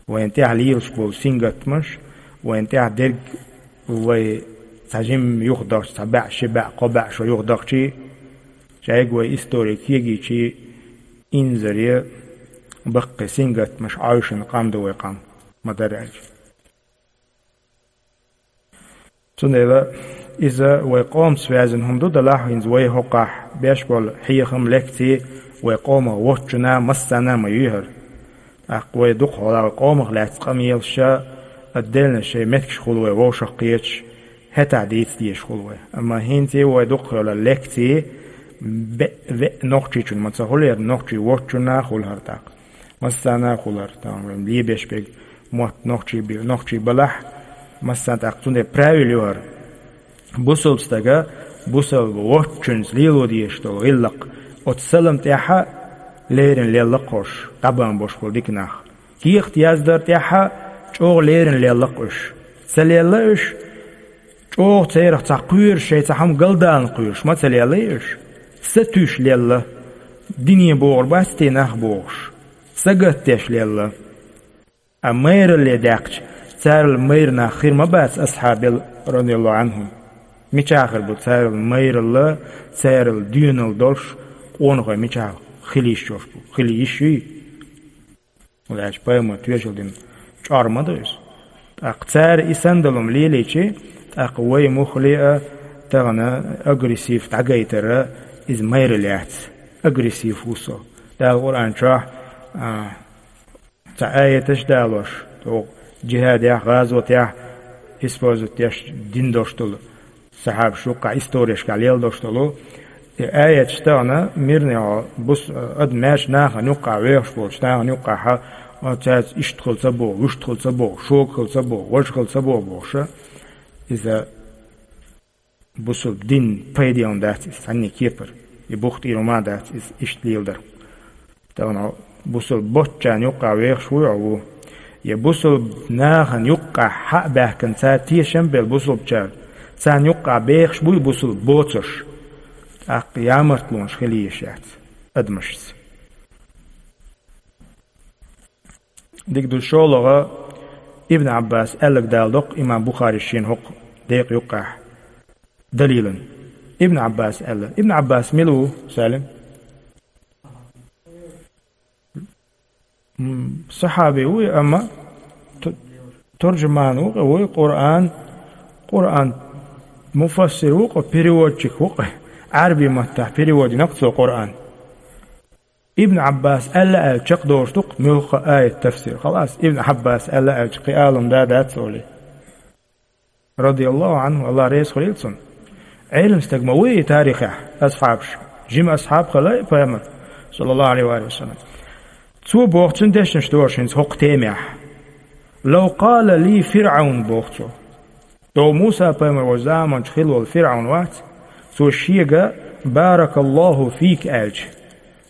Вайна тӀехь лелаш болу сингаттамаш, вайна тӀехь дерг вай цхьа жимма юхадахча, цхьа баьӀ, ши баьӀ, кхо баьӀ шо юхадахчий, шайга вай истори кегийчий, инзаре баккхий сингаттамаш Ӏойшина къам ду вай къам, ма-дарра аьлча. Цундела иза вай къомаца связан хӀума ду, делахь хӀинца вай хӀокхахь беш болу хьехам, лекций вай къомах воцчунна массанна а ма ю хӀара. ТӀаккха вай дукха хьолахь вай къомах лаьцна къамелаш а, отдельно шайн меттигаш хуьлу вай вовшах кхеташ, хӀетахь дийца дезаш хуьлу вай. Амма хӀинца вай дукха хьолахь лекций бе-, ве-, нохчичунна ма ца хуьлу, хӀара нохчий воцчунна а хуьлу хӀара тӀаккха. Массанна а хуьлу хӀара, тахана вайн лебеш берг мотт нохчий бе-, нохчий балахь, массанна тӀаккха цундела правила ю хӀара. Бусулба стага, бусулба воцчуьнца лело дезаш долу гӀиллакх, оцу салам тӀехь а леррина лелла кхош, дӀабан бош болу дика нах. Кехат яздар тӀехь а чӀогӀа леррина лелла кхуьш. Ца лелла уьш, чӀогӀа церах цхьа кхоьруш, шайн цхьа хӀума галдална кхоьруш ма ца лелла уьш. Сатуьйсуш лелла, дине богӀур бац те нах бохуш. Сагатдеш лелла. А майралле даьккхича, царал майра нах хир ма бац асхьабел, радияллаху Ӏанхум. Мичахь хир бу царал майралла, царал доьналла долуш къонахой мичахь хила йиш йолуш бу? Хила йиш юй? Вай аьлча пайхамар тоьшалла дина чӀор ма ду иза. ТӀаккха цара и сандалум лелийчи, тӀаккха вай муххале а тахана агрессив дӀагайтара иза майралла яц. Агрессив ву со. Дала Къуръан чохь, а, цхьа аяташ далош, тӀаккха джихадехь, гӀазотехь использовать деш дина долуш долу, сахьабаш юккъахь историяшкахь лела долуш долу, и аяташ тахана мирнехь бус-, ад маьрша нахана юккъахь вехаш волчу нахана юккъахь, а, цаьрца иштта хила ца боху, вуьшта хила ца боху, шога хила ца боху, важа хила ца боху бохуша, иза бусулба дин пайделан дац иза цхьанне кепара. И бух тӀера ма дац иза иштта леладар. Тахана бусулба боцчарна юккъахь вехаш вуй хьо ву? Я бусулба нахана юккъахь хьа а баьхкина, цара тешам а белла бусулбачара, царна юккъахь бехаш буй бусулба боцурш? ТӀаккха ямартлонаш хила езаш яц адамашца. Дика ду шолгӀа, Ибн Ӏаббас аьлларг дала доккху имам Бухарис шена хӀокху декъа юккъехь далилан. Ибн Ӏаббас аьлла. Ибн Ӏаббас мила ву, Салим? М, сахьаби вуй, амма ту-, туржуман ву, вуй Къуръан, Къуръан муфассир ву, переводчик ву, Ӏарби маттахь перевод йина цо Къуръан. Ибн Ӏаббас аьлла аьлча чекхдолуш ду-кх муьлхха а аят тафсир. Халас, Ибн Ӏаббас аьлла аьлча кхин Ӏалам да дац олий. Радияллаху Ӏанху, Аллах реза хуьлийла цунна. Ӏелам стаг ма вуй и тарихехь, асхьабаш. Жима асхьаб хилла и пайхамар, саллаллаху Ӏалайхи ва саллам. Цо боху цуьнан дешнаш доьшу хӀинца хӀокху темехь. «Лав къала ли ФирӀавн», боху цо. Дов Муса пайхамар волчу заманчу хилла волу ФирӀавн вац, цо шега «Баракаллаху фика» аьлча,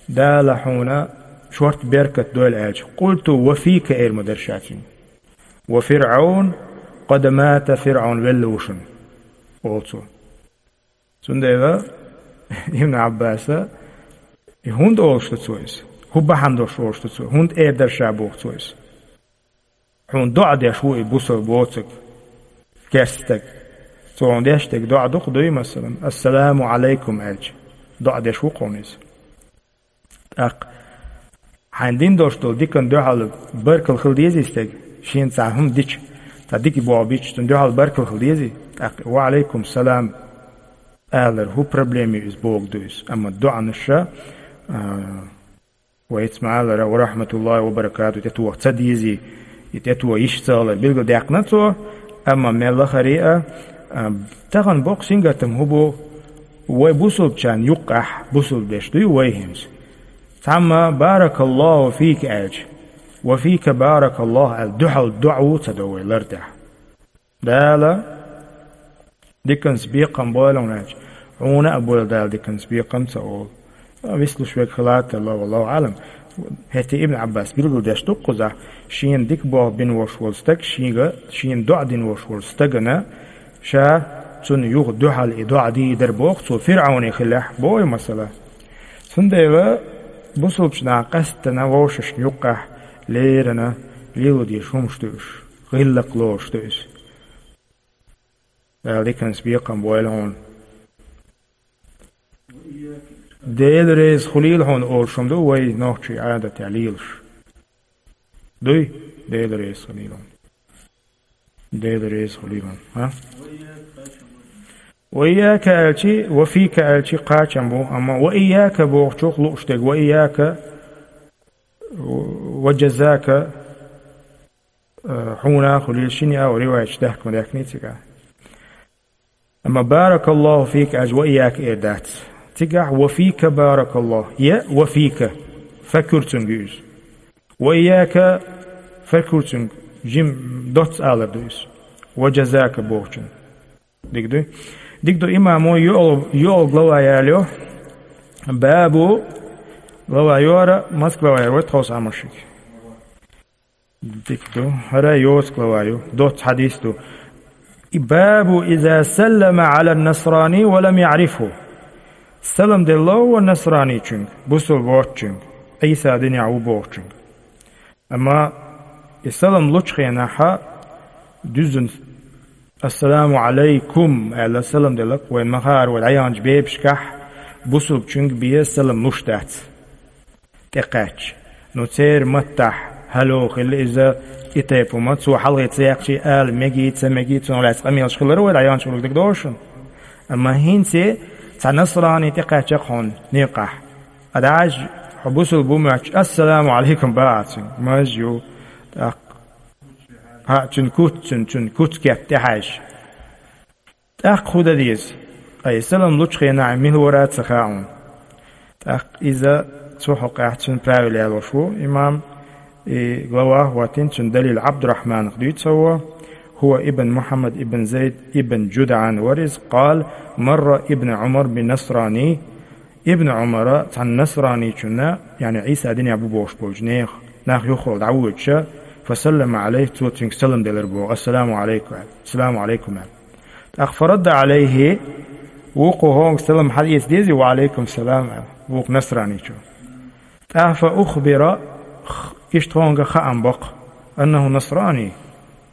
«Дала хьуна шорта беркат дойла» аьлча, «Къулту ва фика» эр ма дара ша цуьнга. «Ва ФирӀавн къад мата», ФирӀавн велла ву шуна, олу цо. Цундела Ибн Ӏаббаса: «И хӀунда олуш ду цо иза? ХӀун бахьана долуш олуш ду цо? ХӀунда эр дара ша?» – боху цо иза. «Хьуна доӀа деш ву и бусалба воцург, керста стаг. Цо хьуна деш дерг доӀа ду-кх, дуй, масалан, „Ассаламу Ӏалайкум“ аьлча, доӀа деш ву-кх хьуна иза». ТӀаккха хьайна дина долуш долу диканна дуьхьал баркалла хила дезий стеган, шена цхьа хӀума дича, цхьа дика болх бича, цунна дуьхьал баркалла хила дезий? ТӀаккха «Ва Ӏалайкум салам» алар хӀун проблема ю иза, бохург ду иза. Амма доӀанаш, а, вайца ма-аллара, «Ва рахматуллахи ва баракату» тӀетоха ца дезий, и тӀетоха йиш ца хилар билгалдаьккхина цо, амма мел лахара а, а, тахана боккха сингаттам хӀун бу, вай бусалбачарна юккъехь, бусалба деш дуй вай хӀинца. Цхьамма «Баракаллаху фика» аьлча, «Ва фика баракаллаху» аьлла, дуьхьал доӀа ву ца до вай лар тӀехь. Дала диканца бекхам бойла хьуна аьлча, хьуна а бойла Дала диканца бекхам ца олу. Вислуш верг хила а тарло, валлаху Ӏалам. ХӀетте Ибн Ӏаббас билгалдеш ду-кх кхузахь, шена дика болх бина волуш волу стаг, шега, шена доӀа дина волуш волу стагана, ша цунна юха дуьхьал и доӀа дийр дара боху цо, ФирӀавне хиллехь, боху масала. Цундела бусалбачу наха къаьсттана вовшашна юккъехь леррина лело дезаш хӀумаш ду уьш, гӀиллакх лоруш ду иза. Дала диканца бекхам бойла хьуна. «Дела реза хуьлийла хьуна» олуш хӀума ду вай нохчийн Ӏадатехь лелаш. Дуй? «Дела реза хуьлийла хьуна». «Дела реза хуьлийла хьуна». А? «Ва ийяка» аьлчи, «Ва фика» аьлчи кхачам бу, амма «Ва ийяка» бохучух лууш дерг, «Ва ийяка», «Ва джазака», э, «Хьуна хуьлийла», шина а риваяташ даьхка ма даьхкиний цигахь. Амма «Баракаллаху фика» аьлча «Ва ийяка» эр дац. Цигахь «Ва фика баракаллаху». Я «Ва фика», фа куьрцунга ю иза. «Ва ийяка», фа куьрцунга, жим доцца алар ду иза. «Ва джазака» бохучун. Дика ду? Дика ду, имамо йоӀал-, йоӀал глава ялайо. Бабу глава йора, маца глава яра вай тховса Ӏамашиг. Дика ду. ХӀара йоцу глава ю. Доцца хьадис ду. И бабу иза саллама Ӏала насрани ва лам яӀрифху. Салам делла ву насраничуьнга, бусалба воцучуьнга, Ӏийса динехь ву бохучуьнга. Амма и салам лучу хенахьа дуьззина «Ассаламу Ӏалайкум» аьлла салам делла-кх, вайн ма-хаара вай дӀаяханчу бепашкахь бусалбачуьнга бен салам луш дац. ТӀекхаьчча. Ну, церан маттахь «хӀало» хилла иза, и тайпа хӀума, цо хьалхе ца яьккхича ала мегий, ца мегий, цунах лаьцна къамелаш хилар вай дӀаяханчу гӀуллакх дерг догӀу шуна. Амма хӀинца цхьа насрани тӀекхаьчча-кх хьуна некъахь. Ткъа дӀа хьо бусалба ву моьттуш, «Ассаламу Ӏалайкум» боху цуьнга. Маж ю, тӀаккха. ХӀаъ, цуьнан куц, цуьнан, цуьнан куц кеп тӀехьаьжча. ТӀаккха хӀун дан деза? Ткъа и салам лучу хенахь мила вара а ца хаьа хьуна. ТӀаккха иза цу хьокъехь цуьнан правила ялош ву имам, и глава а хӀоттийна, цуьнан далил Ӏабдурахьманах дуьйцу хӀавво, хӀува ибн Мухьаммад ибн Зайд ибн ДжудӀан вара иза, къала: «Марра ибн Ӏумар би насрани». Ибн Ӏумара цхьана насраничунна, яъни Ӏийса динехь бу бохуш болчу нехан, нах юххехула дӀавоьдуш, «фа саллама Ӏалайхи», цо цуьнга салам делира боху, «Ассаламу Ӏалайкум», аьлла, «Ассаламу Ӏалайкум», аьлла. ТӀаккха «фарадда Ӏалайхи», вукхо хӀокхунга салам хьан эца дезий, «Ва Ӏалайкум салам», аьлла, вукху насраничо. ТӀаккха «фа ухбира», иштта хӀокхунга хаам бо-кх, «аннаху насрани»,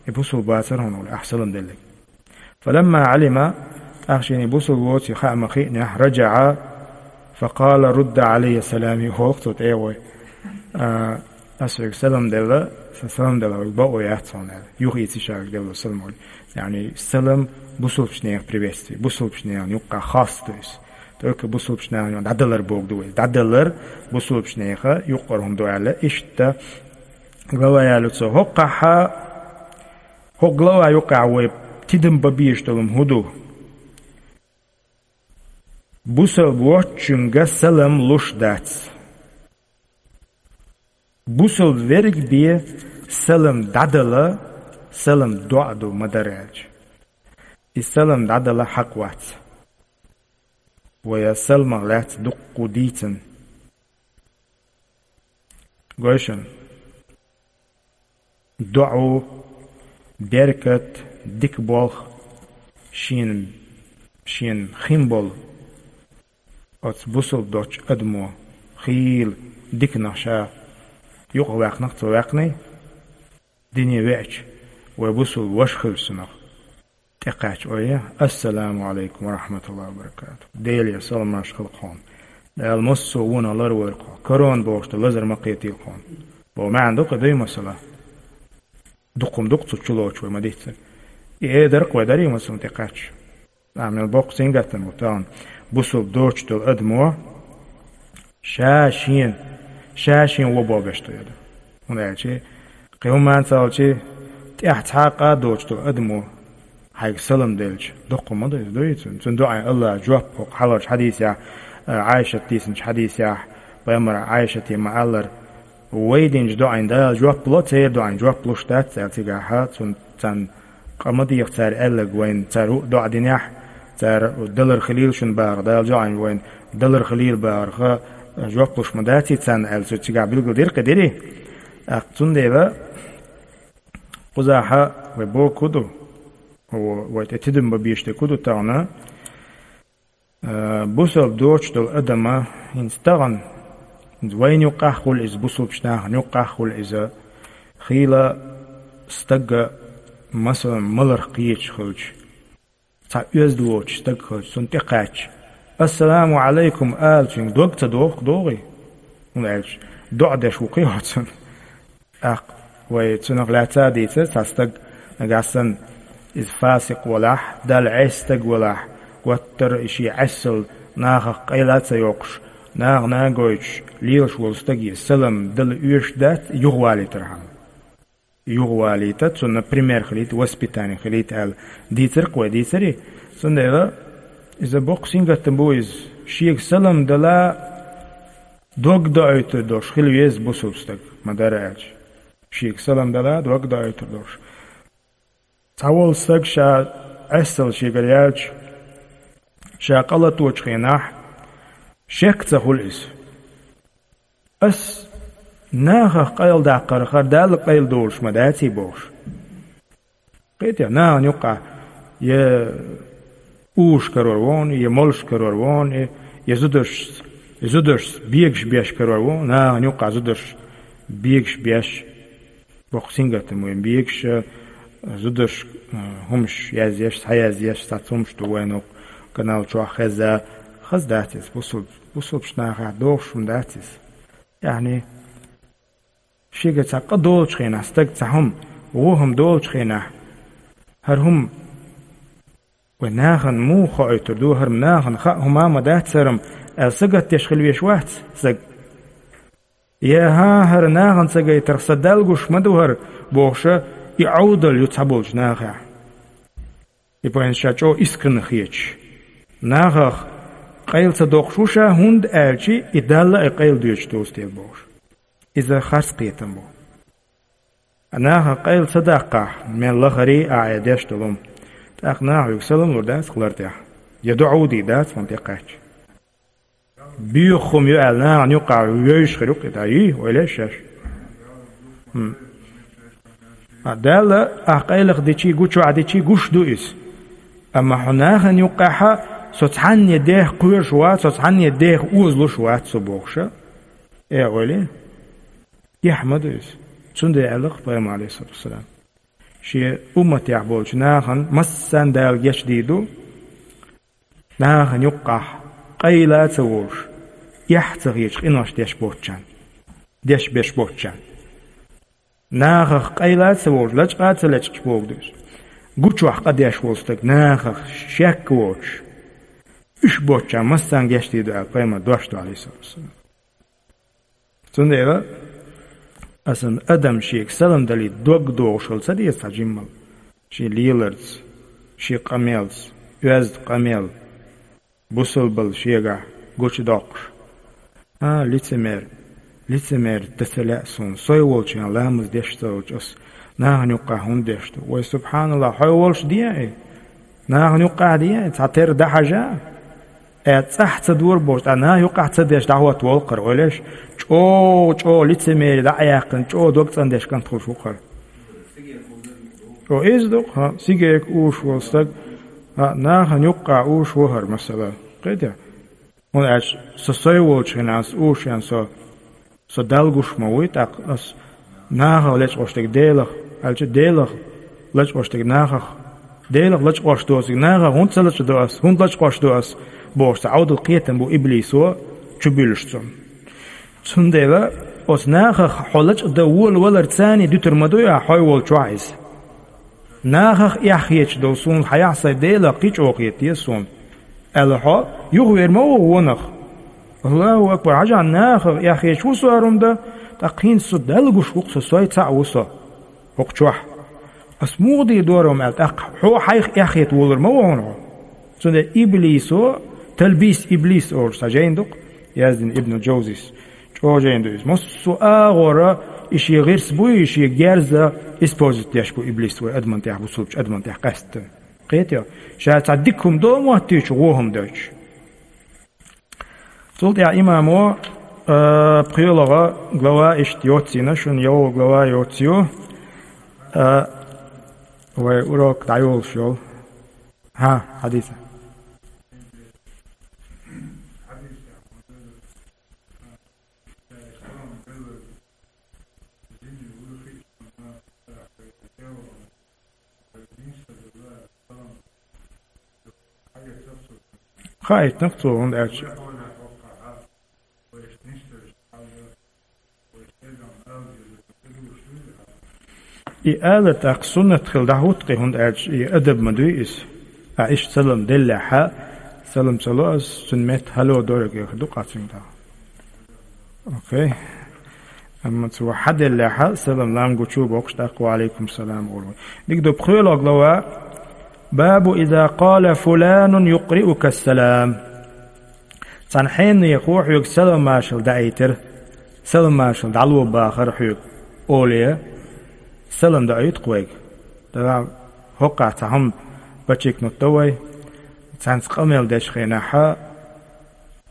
и бусалба вацара хьуна олий, ахь салам делларг. «Фаламма Ӏалима», тӀаккха шена бусалба воций хаа ма-хиънехь, «раджаӀа, фа къала: рудда Ӏалайя салами», боху цо тӀе а гӀой. А, ас вайга салам делла, сан салам дала вайга бакъо яц хьуна аьлла. Юха ийци ша вайга делла салам олий. Яъни салам бусалбачу нехан приветствие, бусалбачу нехан юккъехь хас ду иза. Оька бусулбчу нахана дӀадалар богу ду вай. ДӀадалар бусулбчу неха юккъара хӀума ду аьлла, иштта глава яьлла цо. ХӀоккхахьа, хӀокху глава юккъехь вай тидам бан безаш долу хӀун ду? Бусалба воцчуьнга салам луш дац. Бусалба верг бен салам дӀадала, салам доӀа ду ма дара аьлча. И салам дӀадала хьакъ вац. Вай салмах лаьцна дуккха дийцина. Гой шуна, доӀа, беркат, дика болх шена, шена хин болу оцу бусалба доцчу адамо хийла диканах ша юкъа ваьккхинах, цо ваьккхиний, дине веача, вай бусалба ваша хилча цунах тӀекхаьчча, ой, «Ассаламу Ӏалайкум ва рахьматуллахӀи ва баракатухӀ». Делера саламаш хила хьуна. Дала массо а вонах ларвойла хьо. Корона бохуш ду лазар ма кхетийла хьуна. Бо маьӀна ду-кх и дуй масала. Дукха-м ду-кх цу чулоцуш вай ма-дийццара. И э дара-кх вай дарий масала тӀекхаьчча. Амма мел боккха сингаттам бу тахана. Бусалба доцуш долу адамо ша шена, ша шен вон бобеш ду яра. ХӀунда аьлча кхин хӀуманца аьлча, тӀехь цхьа а къа доцуш долу адамо хьайга салам делча, доккха ма ду иза, дуй цунна? Цунна доӀа Аллаха жоп, хӀокху хьалхарчу хьадийсехь, а, Ӏайшат дийцинчу хьадийсехь, пайхамара Ӏайшате ма-аллара, вай динчу доӀина Дала жоп ло, церан доӀина жоп луш дац аьлла, цигахьа цунна, царна къа ма деха цара аьлларг вайна, цара хӀуъа доӀа динехь, цара далар хилийла шуна бахарх, Дала жоӀина вайна далар хилийла бахарх, жоп луш ма дац и царна аьлла, цу цигахь билгалдира кхидирий? ТӀаккха цундела кхузахьа вай боху ду, вай тӀе тидам бан безаш дерг ду тахана, а, бусалба доцуш долу адама, хӀинца тахана, хӀинца вайна юккъахь а хуьлу иза, бусалбачу нахана юккъахь а хуьлу иза, хийла стага, масалан, маларх кхеташ хилча, цхьа оьзда воцуш стаг хилча, цунна тӀекхаьчча, «Ассаламу Ӏалайкум» ала цуьнга дог ца доху догӀий? ХӀунда аьлча доӀа деш ву кхин хьо цунна. ТӀаккха вай цунах лаьцна а дийцира, цхьа стаг нагахь санна иза фасикъ валахь, Далла Ӏеса стаг валахь, гуттар а и шен Ӏесалла нахах къайла а ца йоккхуш, нахана а гойтуш лелаш волу стаге салам дала оьшуш дац, юхавалийтархьама. Юхавалийта, цунна пример хилийта, воспитание хилийта аьлла дийцира-кх вай, дийцирий? Цундела иза боккха сингаттам бу иза. Шега салам дала дог доуьйтур долуш хила веза бусалба стаг, ма-дарра аьлча. Шега салам дала дог доуьйтур долуш. Цхьа волу стаг ша Ӏесалла шегара яьлча, ша къа латочу хенахь, шек ца хуьлу иза. Ас нахах къайладаккхарх хӀара Далла къайла долуш ма даций бохуш. Кхетий, нахана юккъахь я уьш карор ву хьуна, я молуш карор ву хьуна, я зударшца, я зударшца бегаш беш карор ву хьуна, нахана юккъахь зударшца бегаш беш. Боккха сингаттам вайн бегаш, а, зударш, а, хӀумаш язъеш, схьаязъеш, цхьацца хӀумаш ду вайн хӀокху канал чохь хезна. Хаза дац иза, бусалб-, бусалбачу нахахь догӀуш хӀума дац иза. Яъни, шега цхьа къа долучу хенахь, стаг цхьа хӀума, вон хӀума долучу хенахь, хӀара хӀума вай нахана муха хоуьйтур ду, хӀара нахана хаьа хӀума ма дац хӀара, аьлла сагатдеш хила веш вац стаг. Я хӀан, хӀара нахана ца гайтарх сан Далла гуш ма ду хӀара, бохуша, и Ӏовдал ю цхьаболчу нахехь. И пайна ша чӀогӀа искренне хеташ. Нахах къайла ца доккхуш ву ша, хӀунда аьлча и Далла а къайла доьцуш доцу дела бохуш. Иза харц кхетам бу. Нахах къайла ца даккхахь, мел лахарий а Ӏе деш долу хӀума. ТӀаккха наха хьоьга салам лур дац хилар тӀехь. Я доӀа дийр дац хьуна тӀекхаьчча. Боьха хӀума ю аьлла, нахана юккъахь вевзаш хир ю-кх и, дӀа йий, ойла еш шаьш. ХӀм. А Далла ахь къайлаха дичий, гучохь дичий гуш ду иза. Амма хьо нахана юккъехьа со цхьанне дех кхоьруш вац, со цхьанне дех озалуш вац со бохуша. Э, ойла. Эхь ма ду иза. Цундела аьлла-кх пайхамара, Ӏалайхиссалату вассалам, шен умматехь болчу нахана массарна Дала гечдийр ду, нахана юккъахь къайла а ца волуш, эхь а ца хеташ къинош деш боцчарна, деш беш боцчарна. Нахах къайла а ца волуш, лачкъа а ца лечкъаш боху ду иза. Гучохь къа деш волу стаг, нахах шек а воцуш, Уьш боцча массанга гечдийр ду аьлла, пайхамар дош ду, алейхиссалату вассалам. Цундела, асан адам шега салам далийта дог догӀуш хила ца деза цхьа жиммал. Шен леларца, шен къамелца, оьзда къамел, бусалбал шегахь гучудоккхуш. А, лицемер, лицемер, дан ца лаьа суна, сой волчу ламаз деш ца волчу ас нахана юккъахь хӀунда деш ду? Вай, субханаллах, хьой волуш де и? Нахана юккъахь де и? Цхьатерра дӀахьажа? Э, цӀахь ца дора бохуш, ткъа наха юккъахь ца деш дӀахӀотта волу хӀара, ойла еш, чӀогӀа, чӀогӀа лицемери дӀа а яьккхина, чӀогӀа дог цӀандеш кӀант хуьлуш ву хӀара. О, иза ду-кх, хӀа, сигарка уьш волу стаг, хӀа, нахана юккъахь уьш ву хӀара, масала. Кхетий? ХӀунда аьлча со сой волчу хенахь, аса уьш ен со, со Далла гуш ма вуй, тӀаккха ас нахах лечкъош дерг Делах, аьлча Делах лечкъош дерг нахах, Делах лечкъош доцург нахах хӀунда ца лечкъадо ас, хӀунда лечкъош до ас, бохуш цхьа Ӏовдал кхетам бу иблисо чубуьллуш цунна. Цундела оцу нахах хьо лечкъадан вола валар царний дуьтур ма дуй ахь хьой волчохь иза. Нахах эхь хеташ долу суна хьаехь сайн Делах кхин чӀогӀа хета деза суна, аьлла хьо, юхавер ма ву вонах. Аллаху акбар, хьажахь, нахах эхь хеташ ву со хӀара хӀума дан, тӀаккха хӀинца со Далла гуш ву-кх со, сой цхьаъ ву со хӀокху чохь. Ас муха дийр дора хӀума аьлла, тӀаккха хьо хьайх эхь хета волур ма ву хьуна хьо. Цундела иблисо, талбис иблис олуш цхьа жайна ду-кх, яздина Ибн Джовзис. ЧӀожа жайна ду иза. Массо а агӀора и шен гӀирс буй, и шен герз использовать деш бу иблис вай адаман тӀехь, бусулбачу адаман тӀехь къаьсттина. Кхетий? Ша цхьа дика хӀума до а моттуьйтуш, вон хӀума дойтуш. Цул тӀаьхьа имамо, а, пхоьлагӀа глава иштта йоцийна, шуна йолу глава йоцийна, а, вай урок дӀайолуш йолу. ХӀа, хьадиса. Хаийтинарг цо, хӀунда аьлча и ала тӀаккха суннат хила дӀахӀутту-кх, хӀунда аьлча и адаб ма дуй иза. А иштта салам деллехьа, салам ца ло аса, цуьнан метта хӀалло дойриг ду къацийна тӀаккха. Окей. Амма цо хьаделлехьа, салам лам гучу боккхуш тӀаккха ва алейкум салам олу. Дика ду, пхоьлагӀа глава, бабу иза къала фуланун юкъриука салам. Цхьана хьенехо хьоьга салам-маршалла даийтира, салам-маршалла дӀало бахара хьоьга, олий, салам даийту-кх вайга. Дала хӀокхахь цхьа хӀума подчеркнуть до вай, цхьаьнца къамел дечу хенахьа,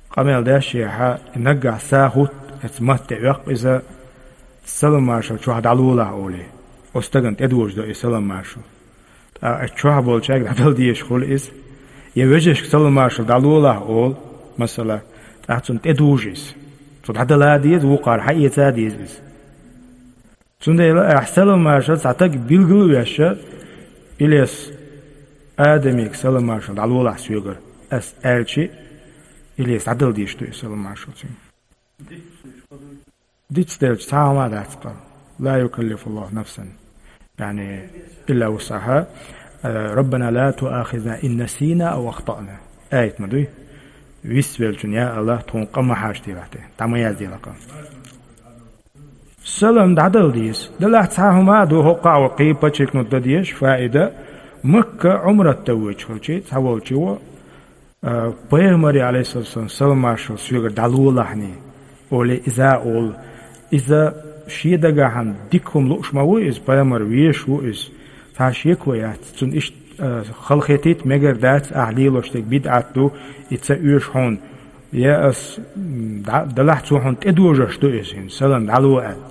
къамел дешшехьа, и наггахь са хӀутту, эца матте оьккху иза, салам-маршалла чохь дӀалолахь олий. Оцу стагана тӀедожадо и салам-маршалла. ТӀаккха чохь болчаьрга дӀадала дезаш хуьлу иза. Я вежаршка салам-маршалла дӀалолахь олу, масала, тӀаккха цунна тӀедужу иза. Цо дӀадала а деза, вукхара хьаэца а деза иза. Цундела ахь салам-маршалла цхьа стаг билгал а веш, Илес, Адамига салам-маршалла дӀалолахь соьгара, ас аьлчи, Илес дӀадала дезаш ду и салам-маршалла цуьнга. Дицделча цхьа а хӀума дац-кха. Ла юкаллифуллаху нафсан, яъни, илла вусъахьа. Э, «Раббана ла туахизна ин насийна ав ахтаъна». Аят ма дуй? Вист веллачун, я АллахӀ, тхуна къа ма хьажа делахь те, дӀа ма язделахь къа. Салам дӀадала деза. Делахь цхьа хӀума а ду, хӀокхахь ван кхин подчеркнуть дан дезаш, фаида, Макка Ӏумрат дан воьдуш хилчи, цхьаволчо, а, пайхамаре, алейхиссалам, салам-маршалла соьгара дӀалолахьний, олий, иза а олу. Иза шен дагахьа дика хӀума лууш ма ву иза, пайхамар везаш ву иза. Цхьа шеко яц, цунна иштта, а, халахетийта мегар дац, ахь лелош дерг бидӀат ду, и ца оьшу хьуна. Я ас, м, дӀа-, делахь цо хьуна тӀедожош ду иза хӀинца, салам дӀало аьлла.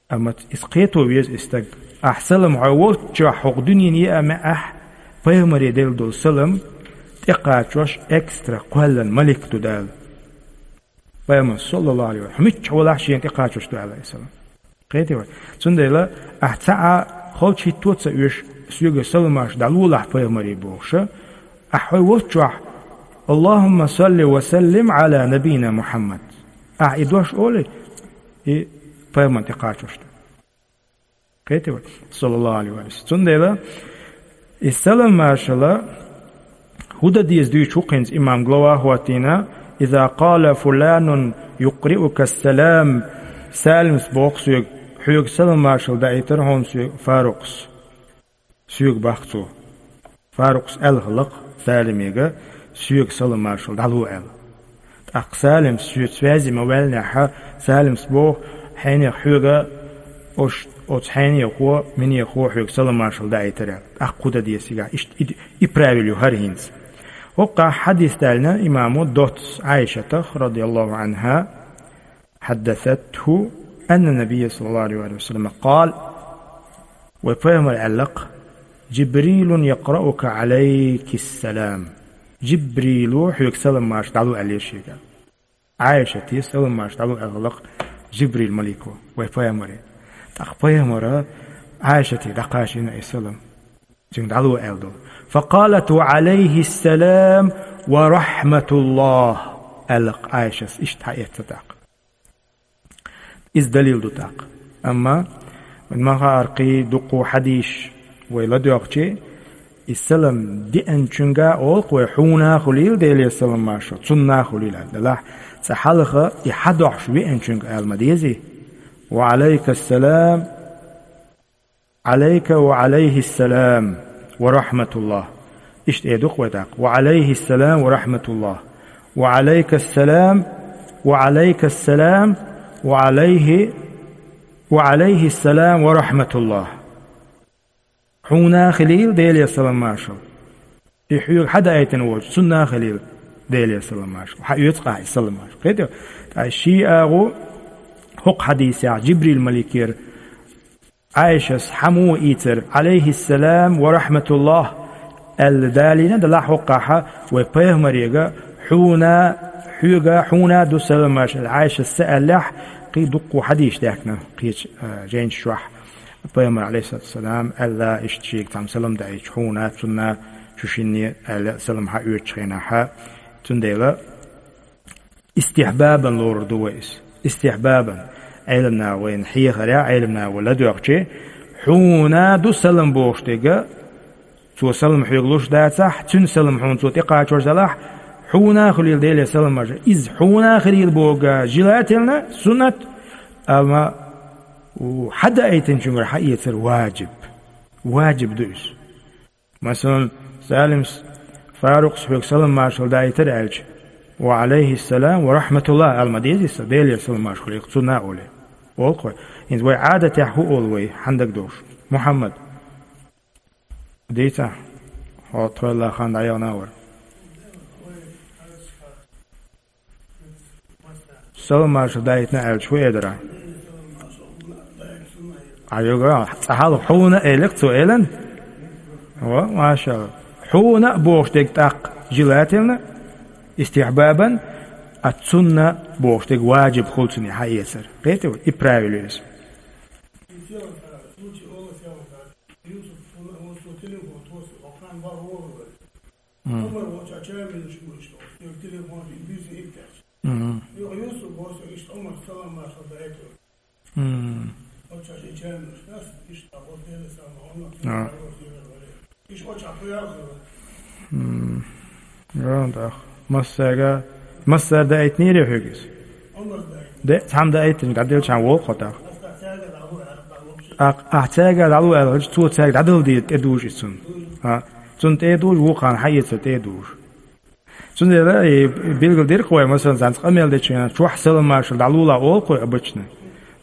Амма иза кхето веза и стаг. Ахь салам хьо волччохь хӀокху дуьненан еа маьӀехь, пайхамаре делла долу салам тӀекхачош экстра кхоьллина малик ду Дала. Пайхамар, саллаллаху алейхи ва саллям, хьо миччахь валахь шена тӀекхачош ду аьлла и салам. Кхетий вай? Цундела ахь цхьа а холчу хӀитто ца оьшу, соьгара салам-маршалла дӀалолахь пайхамаре бохуша, ахь хьо волччохь, Аллахумма салли ва саллим аля набийна Мухаммад. Ахь и дош олий, и пайхамарна тӀекхачош ду. Кхетий вай? Саллаллаху алейхи ва саллям. Цундела и салам-маршалла ХӀун дан деза дуьйцу хӀинца имам глава хӀоттийна: «Иза къала фуланун юкъриукас салам», саламс боху соьга, хьоьга салам-маршалла даийтар хьуна соьга Фарукъас. Соьга боху цо. Фарукъас аьлла хиллера саламега, соьга салам-маршалла дӀало аьлла. ТӀаккха саламс соьца связи ма ваьллинехь, саламс боху: «Хьенех хьоьга, ош, оцу хьенехо, минехо хьоьга салам-маршалла даийтар», аьлла. ТӀаккха хӀун дан деза цигахь? Иштта и, и правило ю хӀара хӀинца. ХӀокхахь хьадис даьлла имамо доцца Ӏайшатах, радияллаху Ӏанха, حدثته أن النبي صلى الله عليه وسلم قال: вай пайхамар аьлла-кх: «Джибрилун якъраука Ӏалайкис салам». Джибрило хьоьга салам-маршалла дӀало аьлла шега. Ӏайшате салам-маршалла дӀало аьлла-кх Джибрил малико вай пайхамаре. ТӀаккха пайхамара Ӏайшате дӀакхачийна и салам. Цуьнга дӀало аьлла ду. «Факъалат: ва Ӏалайхис салам ва рахьматуллахӀ», аьлла-кх Ӏайшас, иштта хьаэцна тӀаккха. Иза далил ду тӀаккха. Амма вайн ма хаара кхин дуккха хьадисаш вай ладоьгӀчи, и салам деанчуьнга олу-кх вай: «Хьуна хуьлийла Делера салам-маршалла, цунна хуьлийла», аьлла. Делахь цкъа хьалха и хьадохьуш веанчуьнга ала ма дезий: «Ва Ӏалайкас салам, Ӏалайка ва Ӏалайхис салам ва рахьматуллахӀ». Иштта эр ду-кх вай тӀаккха: «Ва Ӏалайхис салам ва рахьматуллахӀ». «Ва Ӏалайкас салам, ва Ӏалайкас салам, ва Ӏалайхи, ва Ӏалайхис салам ва рахьматуллахӀ». Хьуна хуьлийла Делера салам-маршалла. И хьоьга хьадаийтина волчу, цунна хуьлийла Делера салам-маршалла. Хьаоьцу-кх ахь и салам-маршалла. Кхетий? Ткъа шиъ агӀо хӀокху хьадисехь Джибрил маликера Ӏайшас хьан муха ийцира: «Ӏалайхис салам ва рахьматуллахӀ», аьлла далийна, делахь хӀокхахь вай пайхамарега: «Хьуна, хьоьга, хьуна ду салам-маршалла», аьлла Ӏайшас ца аьллехь, кхин дуккха хьадисаш даьхкина кхечу, а, жайнаш чохь. Пайхамар, Ӏалайхиссалату вассалам, аьлла, иштта шега цхьамма салам даийтича, хьуна, цунна, шу шинна аьлла, салам хьаоьцучу хенахь. Цундела истихьбабан лорур ду вай иза. Истихьбабан. Ӏеламнаха вайна хьехарехь, Ӏеламнаха вай ладоьгӀчи, хьуна ду салам бохуш дерг, цо салам хьоьга луш дацахь, цуьнан салам хьуна цо тӀекхачор делахь, хьуна хуьлийла Делера салам-маршалла. Иза хьуна хуьлийла бохург желательно, суннат, амма у, хьадаийтинчуьнгара хьаэцар ваджиб. Ваджиб ду иза. Масалан, Салимс, Фарукъс хьоьга салам-маршалла даийтар аьлча, «Ва Ӏалайхиссалам ва рахьматуллахӀ» ала ма дезий сан, Делера салам-маршалла хуьлийла цунна олий. Олу-кх вай. ХӀинца вай Ӏадатехь хӀун олу вай, хьан дагадогӀуш? Мухьаммад. Дийца, хьо тхойла хан дӀаяхана вара. Салам-маршалла даийтина аьлча, хӀун эр дара? Ӏа йога, цкъа хьалха хьуна элира цо, элира? Во, машалла. Хьуна бохуш дерг тӀаккха желательно, истихьбабан, а цунна бохуш дерг ваджиб хуьлу цунна хьаэцар. Кхетий вай? И правило иза. Мгм. Мгм. А. Мгм. Йо, да. Массара, массара даийтинера хьоьга иза? Де, цхьамма даийтинчу дӀаделчхьана вогӀу хьо тӀаккха. Ахь, ахь цаьрга дӀало аьлла хилча, цо цаьрга дӀадала деза, тӀедужу иза цунна. А, цунна тӀедужу, вукхарна хьаэцар тӀедужу. Цундела и билгалдира-кх вай, масалан, цхьаьнца къамел дечу хенахь чохь салам-маршалла дӀалула олу-кх вай обычно.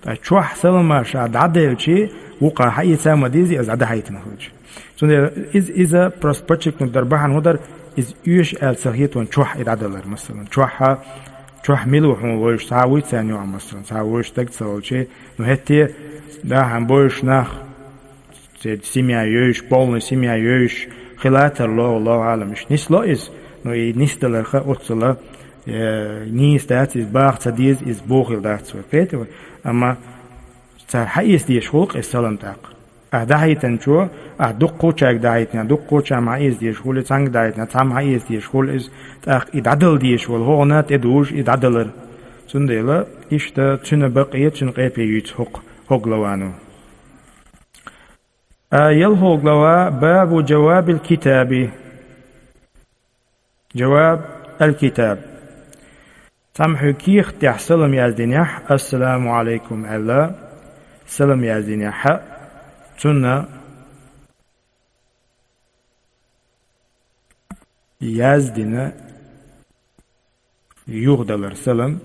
Ткъа чохь салам-маршалла дӀаделчи, вукхарна хьаэца ма дезий, иза дӀадахьийтина хилча. Цундела иза, иза просто подчеркнуть дар бахьана хӀун дара, иза оьшу аьлла ца хета вайна чохь и дӀадалар, масалан. Чохь, чохь мила ву хьуна вевзаш, цхьа вуй царна юкъахь, масалан, цхьа вевзаш стаг ца волчи, ну, хӀетте, да, хьан бевзаш нах, церан семья йевзаш, полная семья йевзаш, хила тарло, Аллаху аӀлам, иштта нисло иза, но и нисдаларх оццула, э, нийса дац иза, баха ца деза иза, бохийла дац вай, кхетий вай? Амма цара хьаэца дезаш хуьлу-кх иза салам тӀаккха. Ахь дӀахьийтинчо, ахь дуккхачаьрга дӀахьийтинехь, дуккхачарна хьаэца дезаш хуьлу, цхьаьнга дӀахьийтинехь, цхьамма хьаэца дезаш хуьлу иза, тӀаккха и дӀадала дезаш волу хӀокхунна тӀедужу и дӀадалар. Цундела иштта цуьнан бакъе, цуьнан къепе юьйцу хӀокху, хӀокху главано. А, ялхо глава, бабу джавабил китаби. Жаваб: аль-китаб. Цхьамма хьоьга кехат тӀехь салам яздинехь, «Ассаламу Ӏалайкум» аьлла, салам яздинехь, цунна яздина юхадалар салам,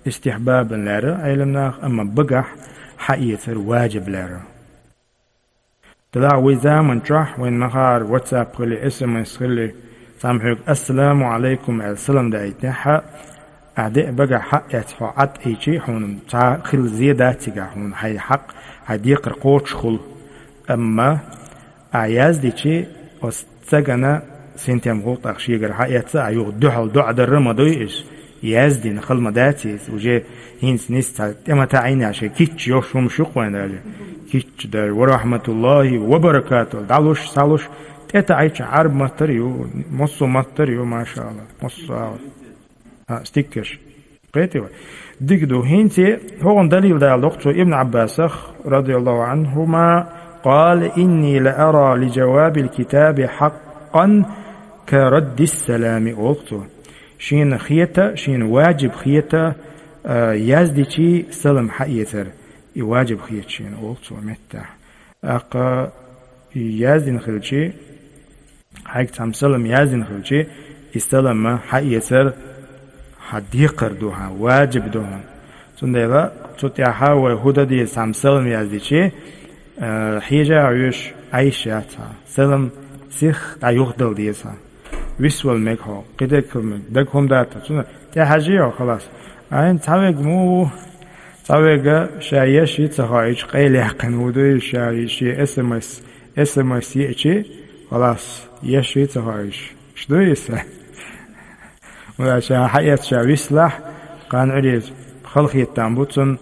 истихьбабан лаьрра Ӏеламнаха, амма багахь хьаэцар важиб лаьрра. Делахь вай заман чохь вайн махара WhatsApp хили, S M S хили, цхьамма хьоьга «Ассаламу Ӏалайкум» аьлла салам даийтинехь, ахь деа багахь хьаэцна хьо Ӏад Ӏийчи, хьуна цхьа хила зе дац цигахь, хьуна хьайн хьакъ, хьайн декхар кхочушхула. Амма ахь яздичи, оцу цӀагана синтем гӀуллакх шегара хьаэцна, ахь юха дуьхьал доӀа дарра ма дуй иза. Яздина хала ма дац иза. Уже хӀинца нийсса цхьа тӀе ма таӀийна, шайн кийча йолуш хӀумнаш ю-кх вайн даже. Кийча даже: «Ва рахьматуллахӀи ва баракатухӀу». ДӀалуш, схьалуш, тӀе таӀийча Ӏарб маттара ю, массо а маттара ю, машаАллахӀ, массо а. А, стикерш. Кхетий вай? Дика ду. ХӀинца хӀокхунна далил дала доккху цо Ибн Ӏаббасах, радияллаху Ӏанхума, «Къала: инни ла ара ли жавабил китаби хьакъан ка раддис салами», олу цо. Шена хета, шена важиб хета, а, яздичи салам хьаэцар. И важиб хета шена, олу цо меттехь. ТӀаккха яздина хилчи, хьайга цхьамма салам яздина хилчи, и салам хьаэцар хьан декхар ду хьан, важиб ду хьан. Цундела цу тӀехь вай хӀун дан деза, цхьамма салам яздичи, а, хьежа а вуьш, Ӏайша яц хьан. Салам сиха дӀа юхадала деза хьан. Висвала мега хьо, кхидерг хила мега, дага хӀума дац хьан. Цунна тӀехьажий хьо, халас. Айн цхьаверг ма ву, цхьаверг ша еш йи ца хоуьйтуш къайлаяьккхина ву дуй, ша шен S M S, S M S еачи, халас, еш йи ца хоуьйтуш. Иш дуй иза? Вала ша хьаэцна ша вислахь, кхана Ӏуьреза халахетам бу цунна,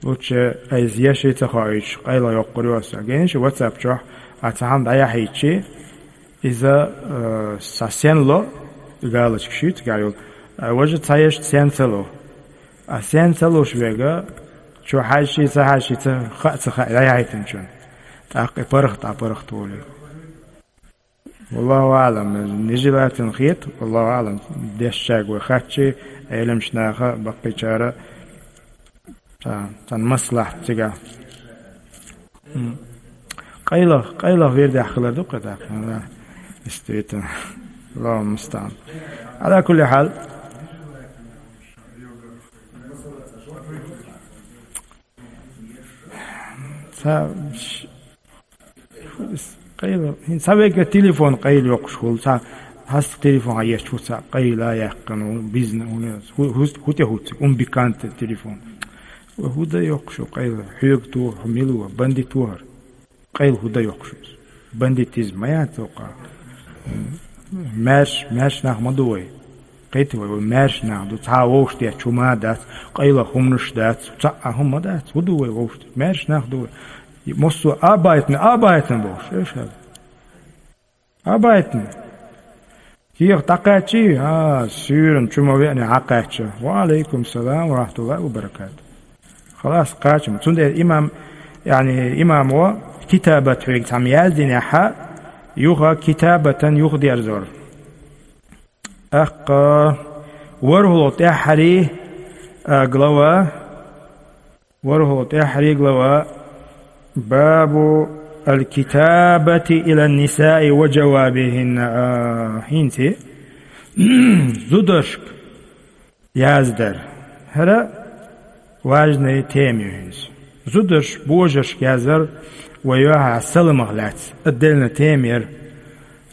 лучше айса еш йи ца хоуьйтуш, къайла йоккхур ю аса. Гайна шу WhatsApp чохь, а цхьа хьалха дӀаяхьийтчи, иза, э, са сен ло, галочка шуьйцу гайол, а важа цхьа еш сен ца ло. А сен ца луш вега, чу хьаьжчи, ца хьаьжчи, ца хаа, ца хаа, дӀаяхьийтинчун. ТӀаккха и паргӀат, а паргӀат волий. Валлаху аълам, нежелательно хета, валлаху аълам, дешчаьрга вай хатчи, Ӏеламчу наха, баккхийчара, цан, цан маслахьат цига. М. Къайлах, къайлах вердехь хилар ду-кх тӀаккха, да. Действительно. Аллаху мустаӀан. Ала кулли хьал. Ца, ш-, къайла, хӀин ца вегга телефон къайла йоккхуш хуьлу, ца хьаста телефон хьан еш ву, ца къайла яьккхина ву, бизнес ву, хӀу-, хӀу-, хӀу тӀе хӀуцциг, унбеканта телефон. Вай хӀу дан йоккхуш ву къайла, хьоьга туху, хьо мила ву, бандит ву хӀара. Къайла хӀу дан йоккхуш ву иза? Бандитизм ма яц воккха. Маьрш-, маьрша нах ма ду вай. Кхетий вай, вай маьрша нах ду. Цхьа вовшах детташ хӀума дац, къайлах хӀуманаш дац, цхьа а хӀума дац. ХӀу ду вай вовшах? Маьрша нах ду вай. Массо а абайтна, абайтна бохуш, эшхал. Абайтна. Кехат дӀакхаьччий, а, суьйранна чу ма веана хьакхаьчча. Ва алейкум салам ва рахматуллахи ва баракату. Халас, кхачам. Цундела имам, яъни, имамо китабат хьоьга цхьамма яздинехьа, юха китабатан юхадерзор. ТӀаккха ворхӀалгӀа тӀаьххьарий, а, глава, ворхӀалгӀа тӀаьххьарий глава, бабу аль-китабати илан-нисаи ва жавабихинна, а, хӀинца зударшка яздар. ХӀара важная тема ю хӀинца. Зударш божаршка яздар вай юьхьа саламах лаьцна. Отдельная тема яра.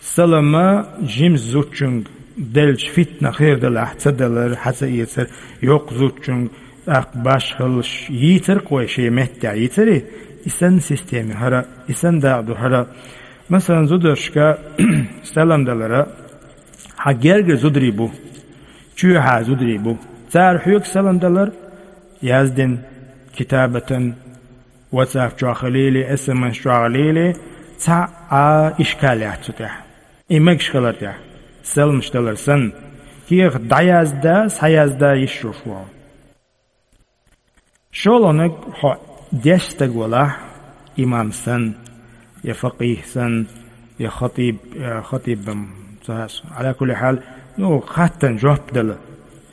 Салама жимса зудчуьнга делча фитна хир далахь, ца далар, хьа ца эцар, йоккха зудчуьнга, тӀаккха башхаллаш йийцар-кх вай шен меттехь, йийцарий? И санна система хӀара, и санна дакъа ду хӀара. Масалан, зударшка салам далара, хьан гергара зударий бу, чоьхьа зударий бу. Цара хьоьга салам далар, яздина, китабатан, WhatsApp чохь хилийла, S M S чохь хилийла, цхьа а ишкал яц цу тӀехь. И мегаш хилар тӀехь, саламаш далар санна, кехат дӀаязда, схьаязда йиш йолуш ву. ШолгӀаниг, хьо дешна стаг валахь, имам санна, я факъихӀ санна, я хатиб, я хатиб-м ца хьаьжча. Ала кулли хьал, Ну, хаттан жоп дала,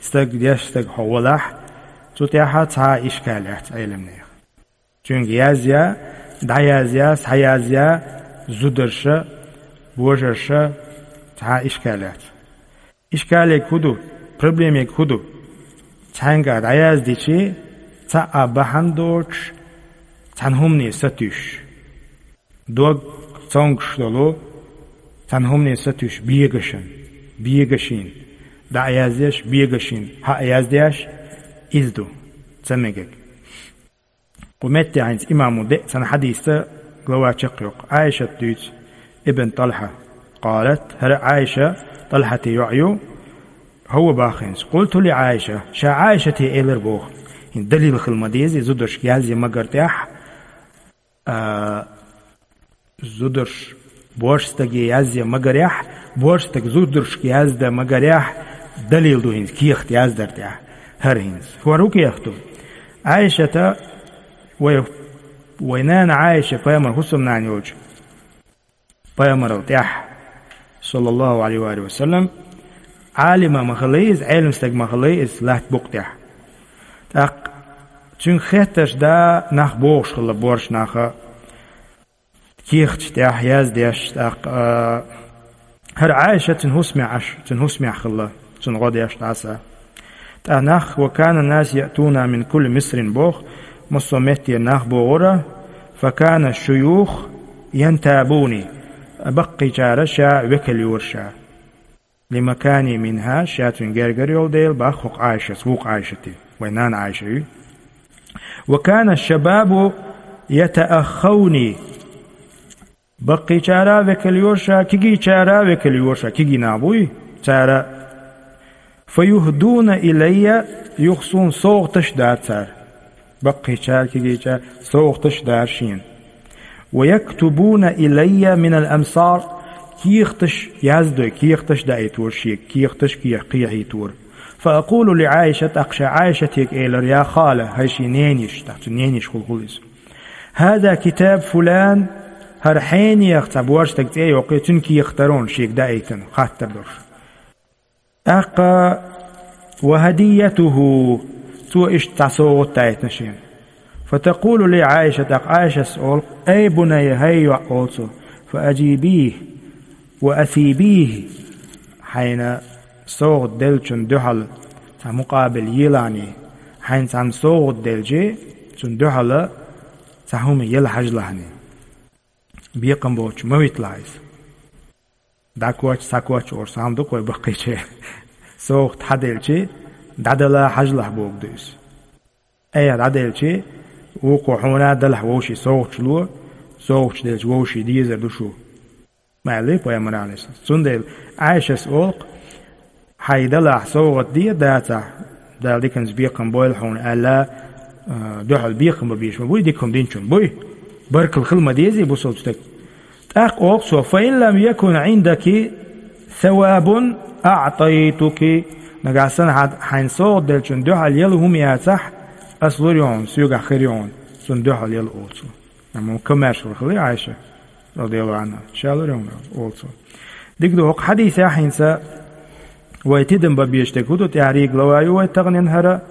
стаг деш стаг хьо валахь, цу тӀехьа цхьа ишкал яц Ӏеламнех. Цуьнга язъя, дӀаязъя, схьаязъя, зударша, божарша, цхьа ишкал яц. Ишкалег хӀу ду, проблемег хӀу ду? Цхьаьнга дӀаяздичи, цхьа а бахьана доцуш, цхьана хӀумане сатуьйсуш. Дог цомгуш долу, цхьана хӀумане сатуьйсуш бегашан, бегашин, дӀа а яздеш, бегашин, хьа а яздеш, иза ду, ца мегаг. Кху метте хӀинца имамо деа цхьана хьадисца глава чекхйоккху. Ӏайшат дуьйцу, ибн ТӀалхьа. Къалат, хӀара Ӏайша ТӀалхьате йоӀ ю, хӀавва баххинца. Къулту ли Ӏайша, ша Ӏайшате элар боху. ХӀинца далил хила ма деза, зударшка язъя магар тӀехь, а, зударш бош стаге язъя магарехь, бош стаг зударшка язда магарехь, далил ду хӀинца кехат яздар тӀехь. ХӀара хӀинца. ХӀара хӀу кехат ду? Ӏайшата, вай, вай нана Ӏайша, пайхамар хӀусамнана йолчу пайхамарал тӀехь, саллаллаху алейхи ва саллям, Ӏалима ма хилла иза, Ӏелам стаг ма хилла иза латта букъа тӀехь. ТӀаккха цуьнга хеттарш да нах бохуш хилла, бош наха, кехаташ тӀехь яздеш, тӀаккха, а, хӀара Ӏайша цуьнан хӀусамехь Ӏаш, цуьнан хӀусамехь хилла, цунна гӀо деш дӀаса. ТӀаккха нах, ва кана нас яътуна мин кулли мисрин боху, массо а меттера нах богӀура, фа кана шуюх янтабуни, баккхийчара ша векал йора ша. Лимакани минха, ша цуьнан гергара йолу дела бах хӀокху Ӏайшас, вукху Ӏайшати, вай нана Ӏайша ю. Ва кана шабабу ятааххауни, баккхийчара векал йора ша, кигийчара векал йора ша, кигий нах буй, цара. Фа юхдуна илайя, юха суна совгӀаташ дара цара. Баккхийчара, кигийчара совгӀаташ дара шена. Ва яктубуна илайя минал амсар, кехаташ яздой, кехаташ даийтора шега, кехаташ кхе-, кхехьийтора. Фа акъулу ли Ӏайша, тӀаккха ша Ӏайшатега элира, я хала, хӀай шен нениш, тӀаккха цу нениш хула хула иза. ХӀаза китаб фулан, хӀара хьенех цхьа бош стаг цӀе йоккхий, цуьнан кехат дара хьуна шега даийтина, хаттар долуш. ТӀаккха, ва хӀадийятуху, цо иштта цхьа совгӀат даийтина шена. Фа такъулу ли Ӏайша, тӀаккха Ӏайшас олу, ай бунайя, хӀай йоӀ, олу цо, фа аджибихи, ва асибихи, хьайна совгӀат деллачун дуьхьал цхьа мукъабил елахьаний, хьайна цхьанна совгӀат делчи, цунна дуьхьал цхьа хӀума яла хьажалахьаний. Бекхам боцуш ма виталахь иза. ДӀакхоччу, схьакхоччу олуш цхьа хӀума ду-кх вай баккхийчеран. СовгӀат хьаделчи, дӀадала хьажалахь бохург ду иза. Айхьа дӀаделчи, вукхо хьуна а далахь вовшийн совгӀаташ ло, совгӀаташ делчи вовшийн дезар ду шу. Ма аьллий пайхамара, Ӏалайхиссалам. Цундела Ӏайшас олу-кх, хьайн далахь совгӀат де, дацахь, Дала диканца бекхам бойла хьуна аьлла, а, дуьхьал бекхам бан безаш ма буй, дика хӀума динчунна буй. Баркалла хила ма дезий бусалба стаг. ТӀаккха олу цо, фа ин лам якун Ӏиндаки савабун аътайтуки. Нагахь санна хьан-, хьайна совгӀат деллачун дуьхьал яла хӀума яцахь, ас лур ю хьуна, соьгахь хир ю хьуна, цунна дуьхьал яла, олу цо. Амма комаьршалла хилла Ӏайша, радияллаху Ӏанха, ша лур ю хьуна, олу цо. Дика ду, хӀокху хьадисехь хӀинца вай тидам бан безаш дерг хӀу ду, тӀаьхьарий глава ю вай таханлера хӀара.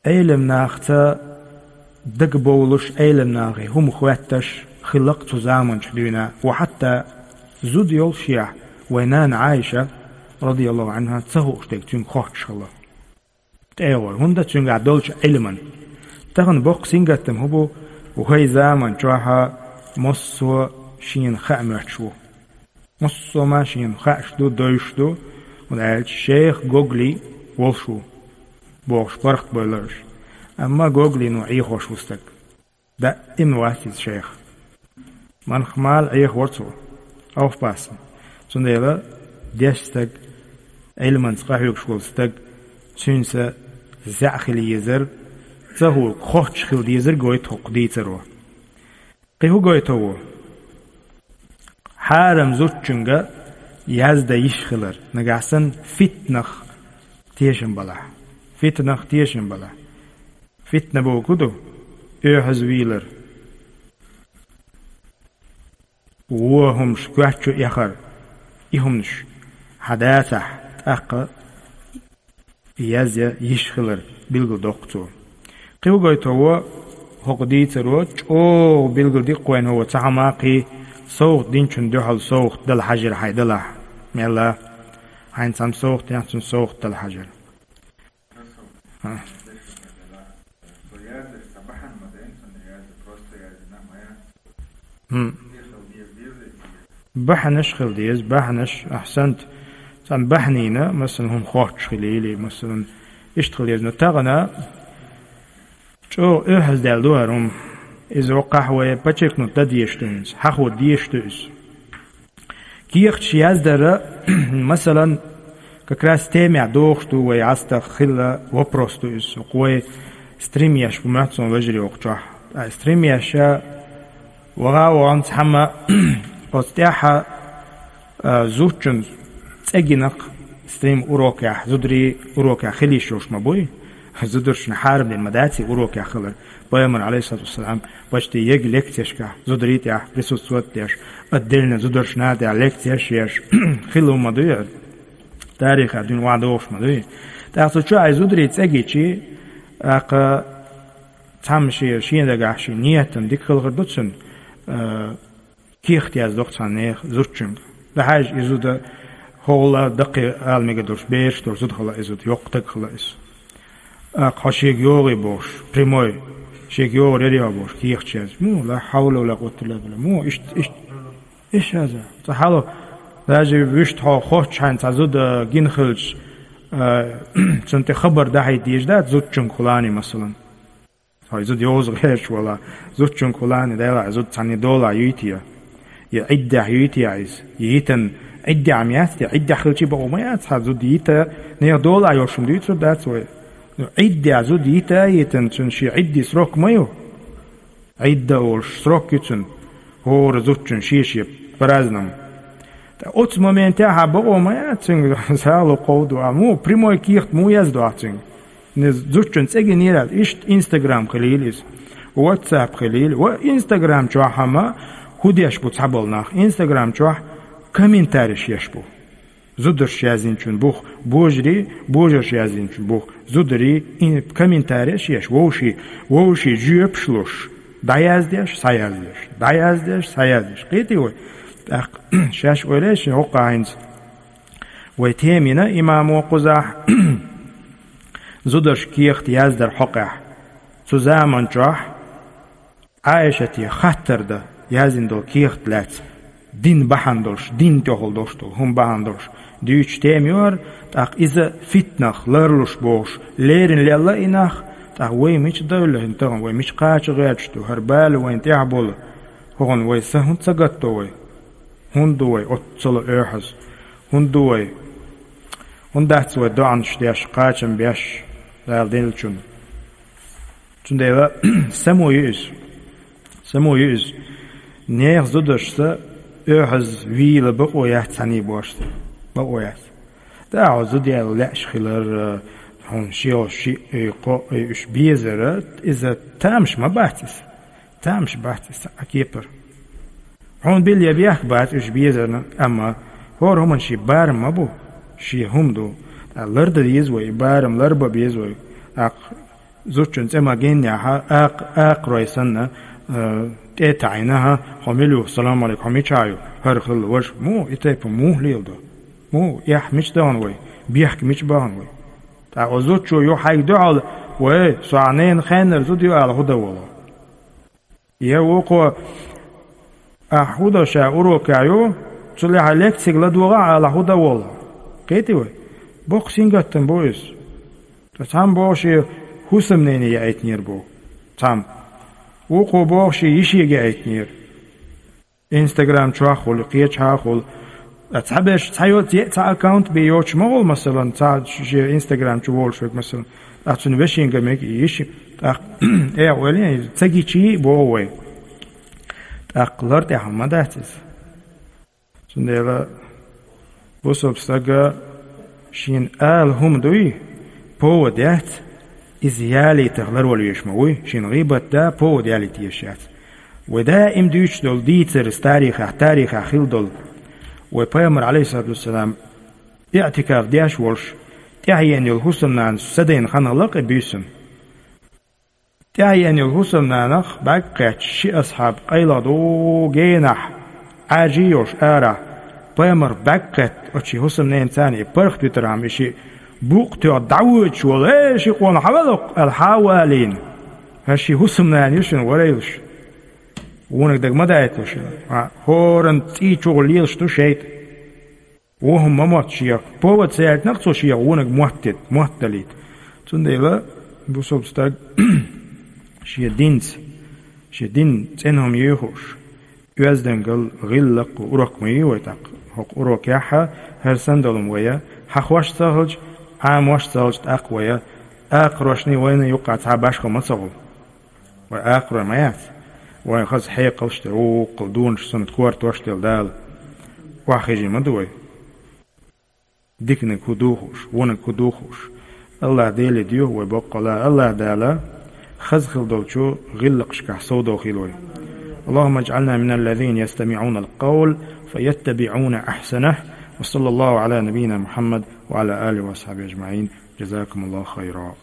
Ӏелам нахаца дагабовлуш, Ӏелам нахе хӀума хоьтташ хилла-кх цу заманчохь дуьйна, ва хьатта зуда йолушехь, вай нана Ӏайша, радияллаху Ӏанха, ца хууш дерг цуьнга хоттуш хилла. ТӀегӀор, хӀунда цуьнгахь долчу Ӏилман. Тахана боккха сингаттам хӀун бу, вай заман чохь массо а шена хаа моьттуш ву. Массо а ма шена хааш ду, девзаш ду, хӀунда аьлча шайх Гогли волуш ву, бохуш паргӀатбевлла уьш. Амма Гоглино Ӏехош ву стаг. Даим вац иза шайх. Манхмала Ӏехавора цо, авфпассам. Цундела дешна стаг, Ӏилманца къахьоьгуш волу стаг, цуьнца зӀе хила езар, ца хӀуьга хоттуш хила дезар гойту хӀокху дийцаро. Кхин хӀун гойту ву? Хьарам зудчуьнга яздан йиш хилар, нагахь санна фитнах тешам балахь. Фитнах тешам балахь. Фитна бохург хӀун ду? Оьхьаза вийлар. Вон хӀумаш коьрта чу эхар. И хӀуманаш. хьан дацахь, тӀаккха язъя йиш хилар билгал доккху цо. Кхин а гойту хӀокху дийцаро, чӀогӀа билгал диккхойн хӀокху цхьа хӀума кхин, совгӀат динчун дуьхьал совгӀат дала хьажар хьайн далахь. Мелла хьайн цхьамма совгӀат яц, цунна совгӀат дала хьажар. А. Хм. Бахьанаш хила деза, бахьанаш, ахьсант. Цхьана бахьанина, масалан, хӀума хоттуш хила или, масалан, иштта хила деза. Но тахана чӀогӀа оьхьаздаьлла ду хӀара хӀума. Иза воккхахь вай подчеркнуть дан дезаш ду иза, хьахо дезаш ду иза. Кехаташ яздар, масалан, как раз темехь дохуш ду вай, гӀастах хилла вопрос ду иза. Вай стрим еш бу моьтту суна, вежарий, оха чохь. Ткъа стрим еш, ваха а вахана цхьамма оцу тӀехь, а, зудчун цӀе гина-кх стрим урокехь, зударий урокехь хила йиш йолуш ма буй. Зударшна хьарам дина ма дац и урокехь хилар. Пайхамар, алейхиссалату вассалам, почти ег лекцешкахь зударий тӀехь присутствовать деш, отдельно зударшна тӀехь лекцеш еш, хилла ма дуй хӀара. Тарихехь дуьйна охьадогӀуш ма дуй. ТӀаккха цу чохь и зударий цӀе гичи, тӀаккха цхьамма шен, шен дагахь шен ниятан дика хилла хир ду цуьнан, а, кехат яздо-кх цхьана нехан зудчуьнга. Дан хьажа, и зуда хӀокхул даккхий ала мегар долуш, бераш долуш зуда хилла и зуда, йоккха стаг хилла иза. ТӀаккха хьо шега йогӀий бохуш, прямой, шега йогӀур яра хьо бохуш, кехаташ язъеш. Ну, ла хьавла ва ла къуввата илла билла. Му, иштта, иштта, иштта язъян. Цкъа хьало, даже вуьшта хьо хоттуш хьайна цхьа зуда гина хилча, а, цунна тӀе хабар дахьийта дезаш дац зудчуьнга хӀуллане, масалан. Хьо и зуда йовза гӀерташ валахь, зудчуьнга хӀуллане, делахь, и зуда цхьанне долахь юй те? Я Ӏиддехь юй те иза? Я йитан Ӏиддехь ма яц те? Ӏиддехь хилча бакъо ма яц, хьан зуда йита, нехан долахь йолуш хӀума дуьйцур дац вай. Ну, Ӏиддехь зуда йита а йитина, цуьнан шен Ӏидди срок ма ю? Ӏидда олуш срок ю цуьнан, хӀора зудчун шен-шен празднам. Ткъа оцу моментехь а бакъо ма яц цуьнга, сагӀа ло кховду, а му, прямой кехат муха яздо ахь цуьнга? Иза зудчун цӀе гинера, иштта Instagram хилийла иза, WhatsApp хилийла. Ва Instagram чохь хӀама хӀун деш бу цхьаболу нах? Instagram чохь комментариш еш бу. Зударша яздинчун бух божарий, божарша яздинчун бух зударий, и комментариш еш, вовший, вовший жоьпаш луш, дӀаяздеш, схьаяздеш, дӀаяздеш, схьаяздеш. Кхетий вай? ТӀаккха шаьш ойла еш, хӀокху хӀинца вай тема йина имамо кхузахь, зударша кехат яздар хьокъехь. Цу заман чохь Ӏайшате хаттар дан яздина долу кехат лаьцна, дин бахьана долуш, дин тӀехула долуш долу хӀума бахьана долуш, дуьйцуш тема ю хӀара, тӀаккха иза фитнах ларлуш бохуш, леррина лелла и нах, тӀаккха вай мича девлла хӀинца тахана, вай мича кхача гӀерташ ду, хӀара бала вайна тӀехь болу, хӀокхунна вай са хӀунда ца гатдо вай? ХӀунда ду вай оццула оьхьаз? ХӀунда ду вай? ХӀунда дац вай доӀанаш деш, кхачам беш Дала деллачунна? Цундела само ю иза. Само ю иза. Нехан зударшца оьхьаз вийла бакъо яц цхьаьний бошца. Бакъо яц. Да, хьо зуда яла лаьаш хилар, хьуна шен шиъ, кхоъ, уьш безара, иза тамаш ма бац иза. Тамаш бац иза цхьа а кепара. Хьуна билла я бехк бац уьш безарна, амма хӀора хӀуманна шен барам ма бу, шен хӀума ду. ТӀаккха лардан деза вай, и барам ларбан беза вай. ТӀаккха зудчун цӀе ма гиннехь, акх-, акхарой санна, э, тӀе а таӀийна, хьо мила ю, салам алейкум, хьо мичахь ю, хӀара хилла важа, му, и тайпа муха леладо? Му, эхь мича дахана вай? Бехк мича бахана вай? ТӀаккха оцу зудчо ю хьайга дуьхьал, вай, со ахь ненан хеннара зуда ю ала хӀун дан волу? Я вукхо, ахь хӀун до ша урокехь ю, цу лаьхьа лекцига ладогӀахь ала хӀун дан волу? Кхетий вай? Боккха сингаттам бу иза. Ткъа цхьамма боху шен хӀусамнене яийтинера боху. Цхьамма. Вукхо боху шен йишига яийтинера. Инстаграм чохь хуьлу, кхечахьа хуьлу. Ткъа цхьаберш цхьа йоцу, е цхьа аккаунт бен йоцуш ма хуьлу, масалан, цхьа шен Инстаграм чу волуш верг, масалан. Ткъа цуьнан вешинга мега и йиш, тӀаккха, э, ойла, ца гичий боху вай. ТӀаккха лар тӀехь ма дац иза. Цундела бусалба стага шена ала хӀума дуй, повод яц, иза ялийтарх ларвала везаш ма вуй, шена гӀийбат дан повод ялийта езаш яц. Вай даим дуьйцуш долу дийцар, тарихехь, тарихехь хилла долу. Вай пайхамар, алейхиссалату вассалам, иӀтикаф деш волуш, тӀаьхьена йолу хӀусамнанас садайна хан хилла кхин буьйсанна. ТӀаьхьена йолу хӀусамнанах бӀаьрг кхетта ши асхьаб къайла дуьйна генахь, Ӏаьржий йолуш арахь, пайхамар бӀаьрг кхетта оцу ши хӀусамненацарна и паргӀат витархьама и шиъ букъ тоьхна дӀавоьдуш волу: «Э, ши къона, хьавалакх!» аьлла, хьа а валийна. ХӀара ши хӀусамнана ю шуна варайлаш. Вониг дага ма даийталаш. ХӀоранна цӀий чухула лелаш ду шайтӀа. Вон хӀума ма мотт шех. Повод ца яьлча, нах цо шех вониг моттийта, моттадалийта. Цундела бусалба стаг шен динца, шен дин цӀена хӀума ю хууш, оьздангалла, гӀиллакх урок ма ю вай тӀаккха. ХӀокху урокехь хӀара санна долу хӀума вай, хьахош ца хилча, Ӏамош ца хилча, тӀаккха вай акхарошний вайна юккъахь цхьа башхо ма ца хуьлу. Вай акхарой ма яц. Вайн хаза хьекъалш а тера, вукхул дунаш санна кортош а делла Дала. Охьахезий ма ду вай. Диканиг хӀун ду хууш, вониг хӀун ду хууш. АллахӀ Деле доьху вай боккъала. АллахӀ Дала хаза хила долчу гӀиллакхашкахь совдохийла вай. اللهم اجعلنا من الذين يستمعون القول فيتبعون أحسنه. وصلى الله على نبينا محمد وعلى آله وأصحابه أجمعين. جزاكم الله خيرا.